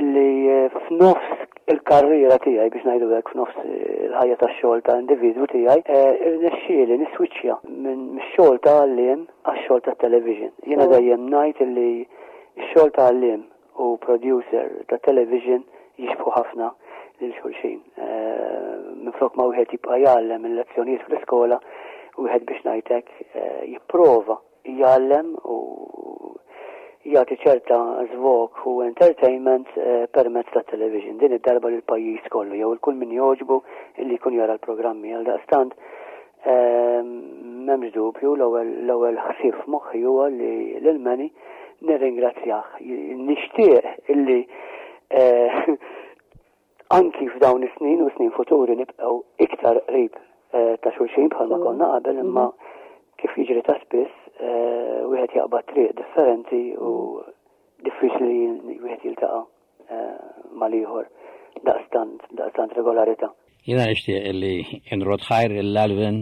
illi eh, f'nofs il-karriera tiegħi, biex ngħidu hekk, f'nofs il-ħajja tax-xogħol ta' individwu tiegħi, eh, irnexxieli niswiċċja minn mix-xogħol ta' għalliem għax-xogħol ta' television. Jiena dejjem ngħid illi x-xogħol ta' għalliem u producer ta' television jixbħu ħafna lil xulxin. Eh, minflok ma wieħed jibqa' jgħallem il-lezzjonijiet fl-iskola, wieħed, biex ngħidlek, eh, jipprova jgħallem u jagħti ċerta żvog u entertainment eh, permezz ta' television. Din id-darba lil pajjiż kollu jew il kull min jogħġbu illi jkun jara l-programmi. Għal daqstant eh, m'hemmx dubju, l-ewwel l-ewwel ħsieb f'moħħi huwa li lil Manny nirringrazzjah. Nixtieq illi eh, anki f'dawn is-snin u snin futuri nibqgħu iktar qrib eh, ta' xulxin bħalma konna qabel, imma kif jiġri ta' spiss, eh, wieħed jaqbad triq differenti u diffiċli li wieħed jiltaqa' eh, mal-ieħor daqstant daqstant regolarità. Jiena nixtieq illi nrodd ħajr lil Alvin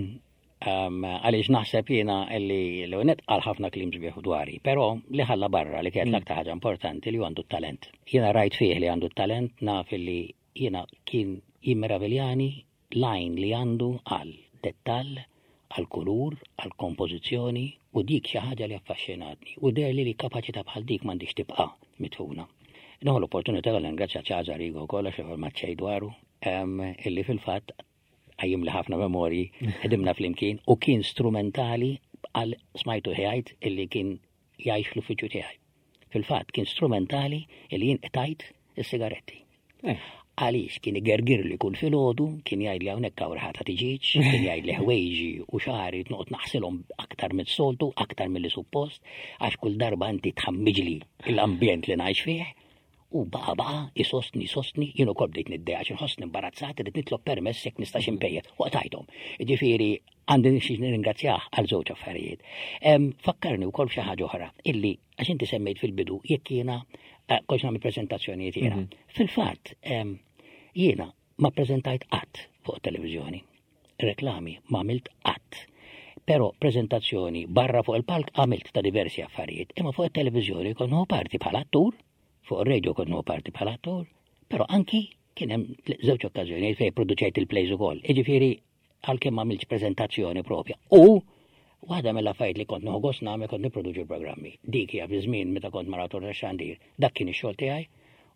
um, għaliex naħseb jiena illi l net qal ħafna kliem sbieħ dwari, però li ħalla barra li kienet l-aktar ħaġa importanti, li għandu talent. Jiena rajt fih li għandu talent, naf illi jiena kien jimmeraviljani l-għajn li għandu għal dettall, għal kulur, għal kompożizzjoni, u dik xi ħaġa li affaxxinatni u deher li li kapaċità bħal dik m'għandix tibqa' mitfuna. Nieħu l-opportunità li ngrazzja Charles Arrigo wkoll, għax ma xejn dwaru, em, illi fil-fatt qajjimli ħafna memorji, ħdimna flimkien u kien strumentali għal smajtu ħajt illi kien jgħix fl-uffiċċju tiegħi. Fil-fatt kien strumentali illi jien qtajt is-sigaretti. Eh. Għaliex kien igergir li kull filgħodu, kien jgħid li hawnhekk hawn riħa ta' tiġieġ, kien jgħid li ħwejġi u xagħri noqgħod naħsilhom aktar mis-soltu, aktar milli suppost, għax kull darba inti tħammiġli l-ambjent li ngħix fih. U baqa baqa isostni isostni, jien ukoll bdejt niddejjaq għax inħossni imbarazzat, irrid nitlob permess jekk nistax impejjep. U qtajthom. Ġifieri għandi xi nirringrazzjah għal żewġ affarijiet. Em, Fakkarni wkoll f'xi ħaġa oħra, illi għax inti semmejt fil-bidu jekk jiena eh, kontx nagħmel preżentazzjonijiet jiena. Fil-fatt em, jiena ma preżentajt qatt fuq televiżjoni. Reklami ma għamilt qatt. Però prezentazzjoni barra fuq il-palk għamilt ta' diversi affarijiet, imma fuq il-televiżjoni kont nieħu parti bħala attur, fuq ir-radio kont nieħu parti bħala attur, però anki kien hemm żewġ okkażjonijiet fejn produċejt il-plays ukoll. Jiġifieri għalkemm ma għamiltx preżentazzjoni propja. U waħda mill-affarijiet li kont nieħu gost nagħmel, kont nipproduċi programmi. Dik hija fi żmien meta kont mal-Awtorità tax-Xandir. Dak kien ix-xogħol tiegħi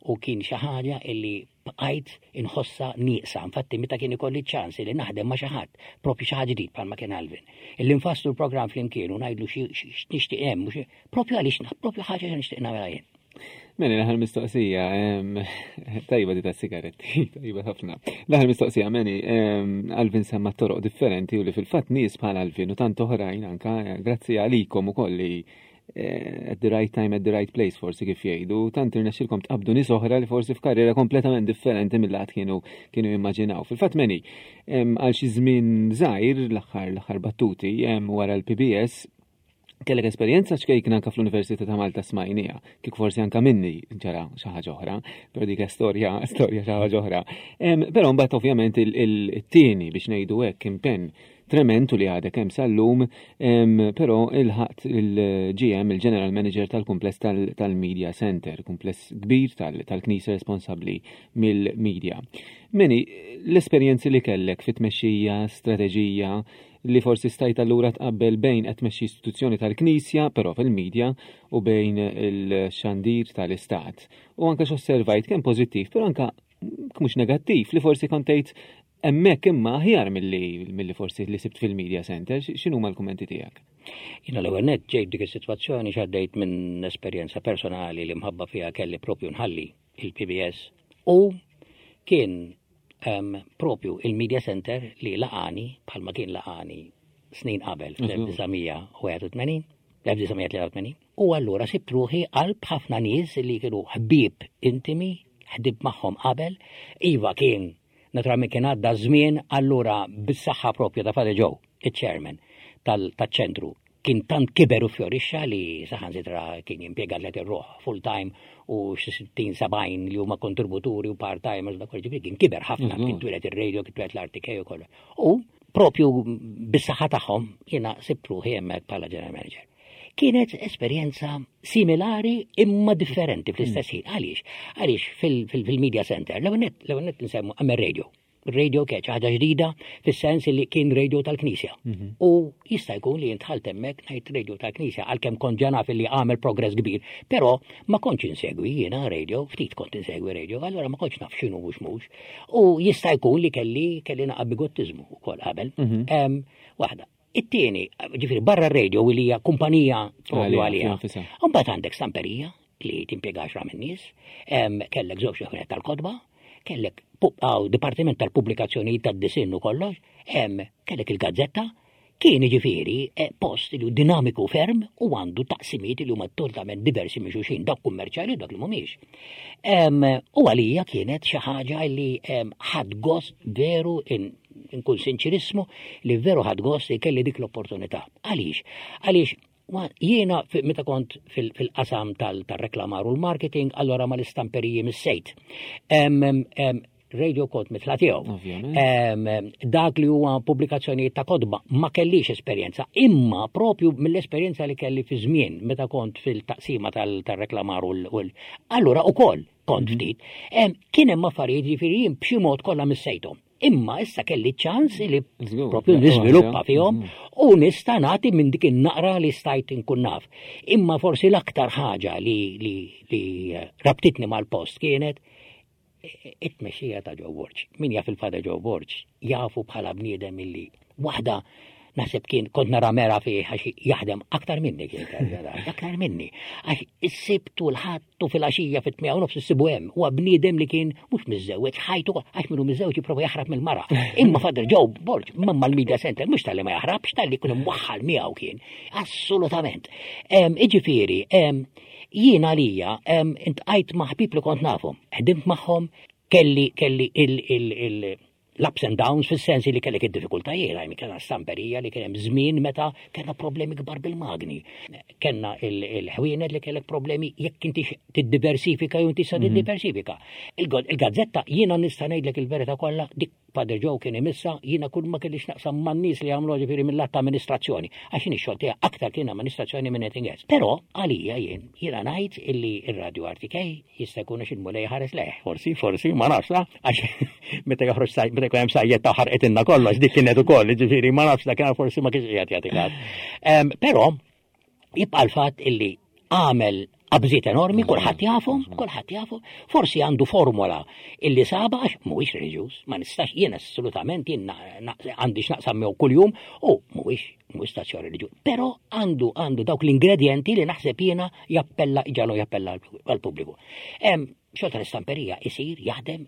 u kien xi ħaġa illi bqajt inħossa nieqsa. Infatti meta kien ikolli ċans li naħdem ma' xi ħadd, propju xi ħadd ġdid bħalma kien Alvin, illi nfasslu l-programm flimkien u ngħidlu xi x'nixtieq hemm, mhux propju għaliex propju ħaġa xi nixtieq nagħmilha jien. Manny, l-aħħar mistoqsija, em, tajba di ta' sigaretti, tajba ħafna. L-aħħar mistoqsija, Manny, em, Alvin semma toroq differenti u li fil-fatt nies bħal Alvin u tant oħrajn anka, eh, grazzi għalikom ukoll li eh, at the right time, at the right place, forsi kif jgħidu, tant irnexxilkom tqabdu nies oħra li forsi f'karriera kompletament differenti mill-għad kienu kienu jimmaġinaw. Fil-fatt Manny, em, għal xi żmien żgħir, l-aħħar l-aħħar battuti em, wara l-P B S kellek esperjenza ċkejkna anka fl-Università ta' Malta smajnija, kik forsi anka minni ġara xi ħaġa oħra, però dik storja storja xi ħaġa oħra. Em, Però mbagħad ovvjament il-tieni, biex ngħidu hekk, impenn trementu li għadek hemm sal-lum, em, però ilħaqt il-G M, il-General Manager tal-kumpless tal-Media Center, kumpless kbir tal-Knisja responsabbli mill-media. Manny, l-esperjenzi li kellek fit-tmexxija, strateġija, li forsi stajt allura tqabbel bejn qed tmexxi istituzzjoni tal-Knisja, però fil-media, u bejn il-xandir tal-Istat. U anka x'osservajt kemm pożittiv, però anka mhux negattiv li forsi kont tgħid hemmhekk imma aħjar milli milli forsi li sibt fil-media center, x'inhuma l-kummenti tiegħek? Jiena l-ewwel nett ġejt dik is-sitwazzjoni x'għaddejt minn esperjenza personali li mħabba fiha kelli propju nħalli il-P B S u kien um, propju il-media center li laqani bħalma kien laqani snin qabel fl-elf disa' mija u wieħed u tmenin, l-elf disa' mija tlieta u tmenin. U allura sibt ruħi qalb ħafna nies li kienu ħbieb intimi, ħdimt magħhom qabel. Iva, kien naturalment kien għadda żmien, allura bis-saħħa propju ta' Father Joe, il-chairman tal-ċentru, kien tant kiber u fjorixxa li saħansitra kien jimpjega tliet irruħ full time u xi sittin sebgħin li huma kontributuri u part-timers, dak kollu, kien kiber ħafna, kien twieled ir-radio, kien twieled l-R T K u kollu. U propju bis-saħħa tagħhom jiena sibt ruħi hemmhekk bħala general manager. Kienet esperjenza similari imma differenti fl-istess ħin. Għaliex? Għaliex fil-media center, l-ewwel nett nsemmu għamel radio. Radio kienet ħaġa ġdida fis-sens li kien radio tal-Knisja. Mhm. U jista' jkun li jintħalt hemmhekk ngħid radio tal-Knisja għalkemm kont ġa naf li għamel progress kbir, però ma kontx insegwi jiena radio, ftit kont insegwi radio, allura ma kontx naf x'inhu mhux mhux. U jista' jkun li kelli kelli naqa' bigottiżmu wkoll qabel. Mhm. Waħda. It-tieni, ġifieri barra radio li hija kumpanija propju għalija. Mbagħad għandek stamperija li timpjega għaxra min-nies, kellek żewġ tal-kotba, kellek dipartiment tal-pubblikazzjoni tad-disinn u kollox, kellek il-gazzetta, kien ġifieri eh, post li dinamiku ferm u għandu taqsimiet li huma totalment diversi minn xulxin, dak kummerċjali u dak li mhumiex. U għalija kienet xi ħaġa li ħadt gost veru inkun sinċerissmu li veru ħadt gost li kelli dik l-opportunità. Għaliex? Għaliex jiena meta kont fil-qasam tal-reklamar u l-marketing, allora ma l-istamperiji missejt. Radio kont mitla tiegħu. Dak li huwa pubblikazzjonijiet ta' kotba ma kellix esperjenza, imma propju mill-esperjenza li kelli fi żmien meta kont fil-taqsima tal-reklamar u l allura ukoll kont mhm. ftit. Kien hemm affarijiet ġifieri jien b'xi mod kollha missejthom. Imma issa kelli ċans li propju niżviluppa fihom mhm. u nista' nagħti minn dik in-naqra li stajt inkun naf. Imma forsi l-aktar ħaġa li, li, li rabtitni mal-post kienet it-tmexxija ta' Joe Borg. Min jaf il-Father Joe Borg jafu bħala bniedem illi waħda naħseb kien kont nara mera fih għax jaħdem aktar minni kien aktar minni. Għax is-Sibt u l-Ħadd u fil-għaxija fit-tmienja u nofs issibu hemm. Huwa bniedem li kien mhux miżżewweġ ħajtu għax minnu miżżewweġ jipprova jaħrab mill-mara. Imma Father Joe Borg mamma l-media center mhux talli ma jaħrabx talli jkun imwaħħal miegħu kien. Assolutament. Iġifieri, jien għalija iltqajt ma' ħbieb li kont nafhom, ħdimt magħhom, kelli kelli il l-ups and downs fis-sensi li kellek id-diffikultajiet, għajmi kellna stamperija li kien hemm żmien meta kellna problemi kbar bil-magni. Kellna il-ħwienet li kellek problemi jekk inti tiddiversifika jew inti sa mhm. tiddiversifika. Il-gazzetta jiena nista' ngħidlek il-verità kollha dik Father Joe kien imissa jiena kull ma kellix naqsam man-nies li għamlu ġifieri mill-att amministrazzjoni. Għax jien ix-xogħol tiegħi aktar kien amministrazzjoni minn anything else. Però għalija jien jiena ngħid illi ir-Radio R T K jista' jkun għax il-Mulej ħares leh. Forsi, forsi, ma nafx la, għax meta joħroġ meta jkun hemm sajjetta ħarqet kollox dik kienet ukoll, ġifieri ma nafx dak forsi ma kienx qiegħed jagħti. Però jibqa' l-fatt illi għamel qabżiet enormi, kulħadd jafhom, kulħadd jafu. Forsi għandu formula illi saba għax mhuwiex reliġjuż, ma nistax jien assolutament jien għandi x'naqsam miegħu kuljum u mhuwiex mhuwiex stazzjon reliġjuż. Però għandu għandu dawk l-ingredienti li naħseb jiena jappella iġalu jappella għall-pubbliku. Xogħol tal-istamperija isir, jaħdem,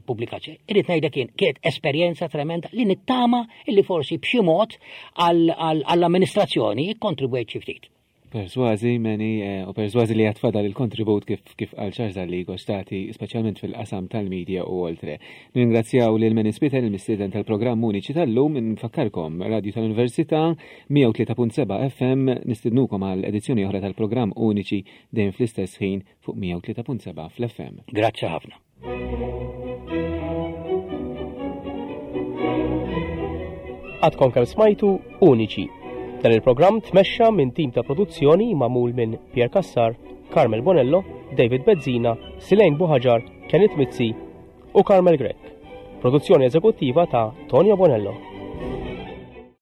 pubblikazzjoni. Irrid ngħidlek jien kienet esperjenza tremenda li nittama illi forsi b'xi mod għall-amministrazzjoni ikkontribwejt xi ftit. Persważi, Manny, eh, u persważi li għad fadal il-kontribut kif kif għal ċarza li gostati, speċjalment fil-qasam tal-media u oltre. Ningrazzjaw lil Manny Spiteri, il-mistieden tal-programm Uniċi tal-lum, nfakkarkom Radio tal-Università mija u tlieta punt seba' F M, nistidnukom għal edizzjoni oħra tal-programm Uniċi dejjem fl-istess ħin fuq mija u tlieta punt seba' fl-F M. Grazzi ħafna. Għadkom kemm smajtu Uniċi. Dan il-programm tmexxa minn tim ta' produzzjoni magħmul minn Pierre Cassar, Carmel Bonello, David Bezzina, Silejn Buħaġar, Kenneth Mizzi u Carmel Grech. Produzzjoni eżekuttiva ta' Tonio Bonello.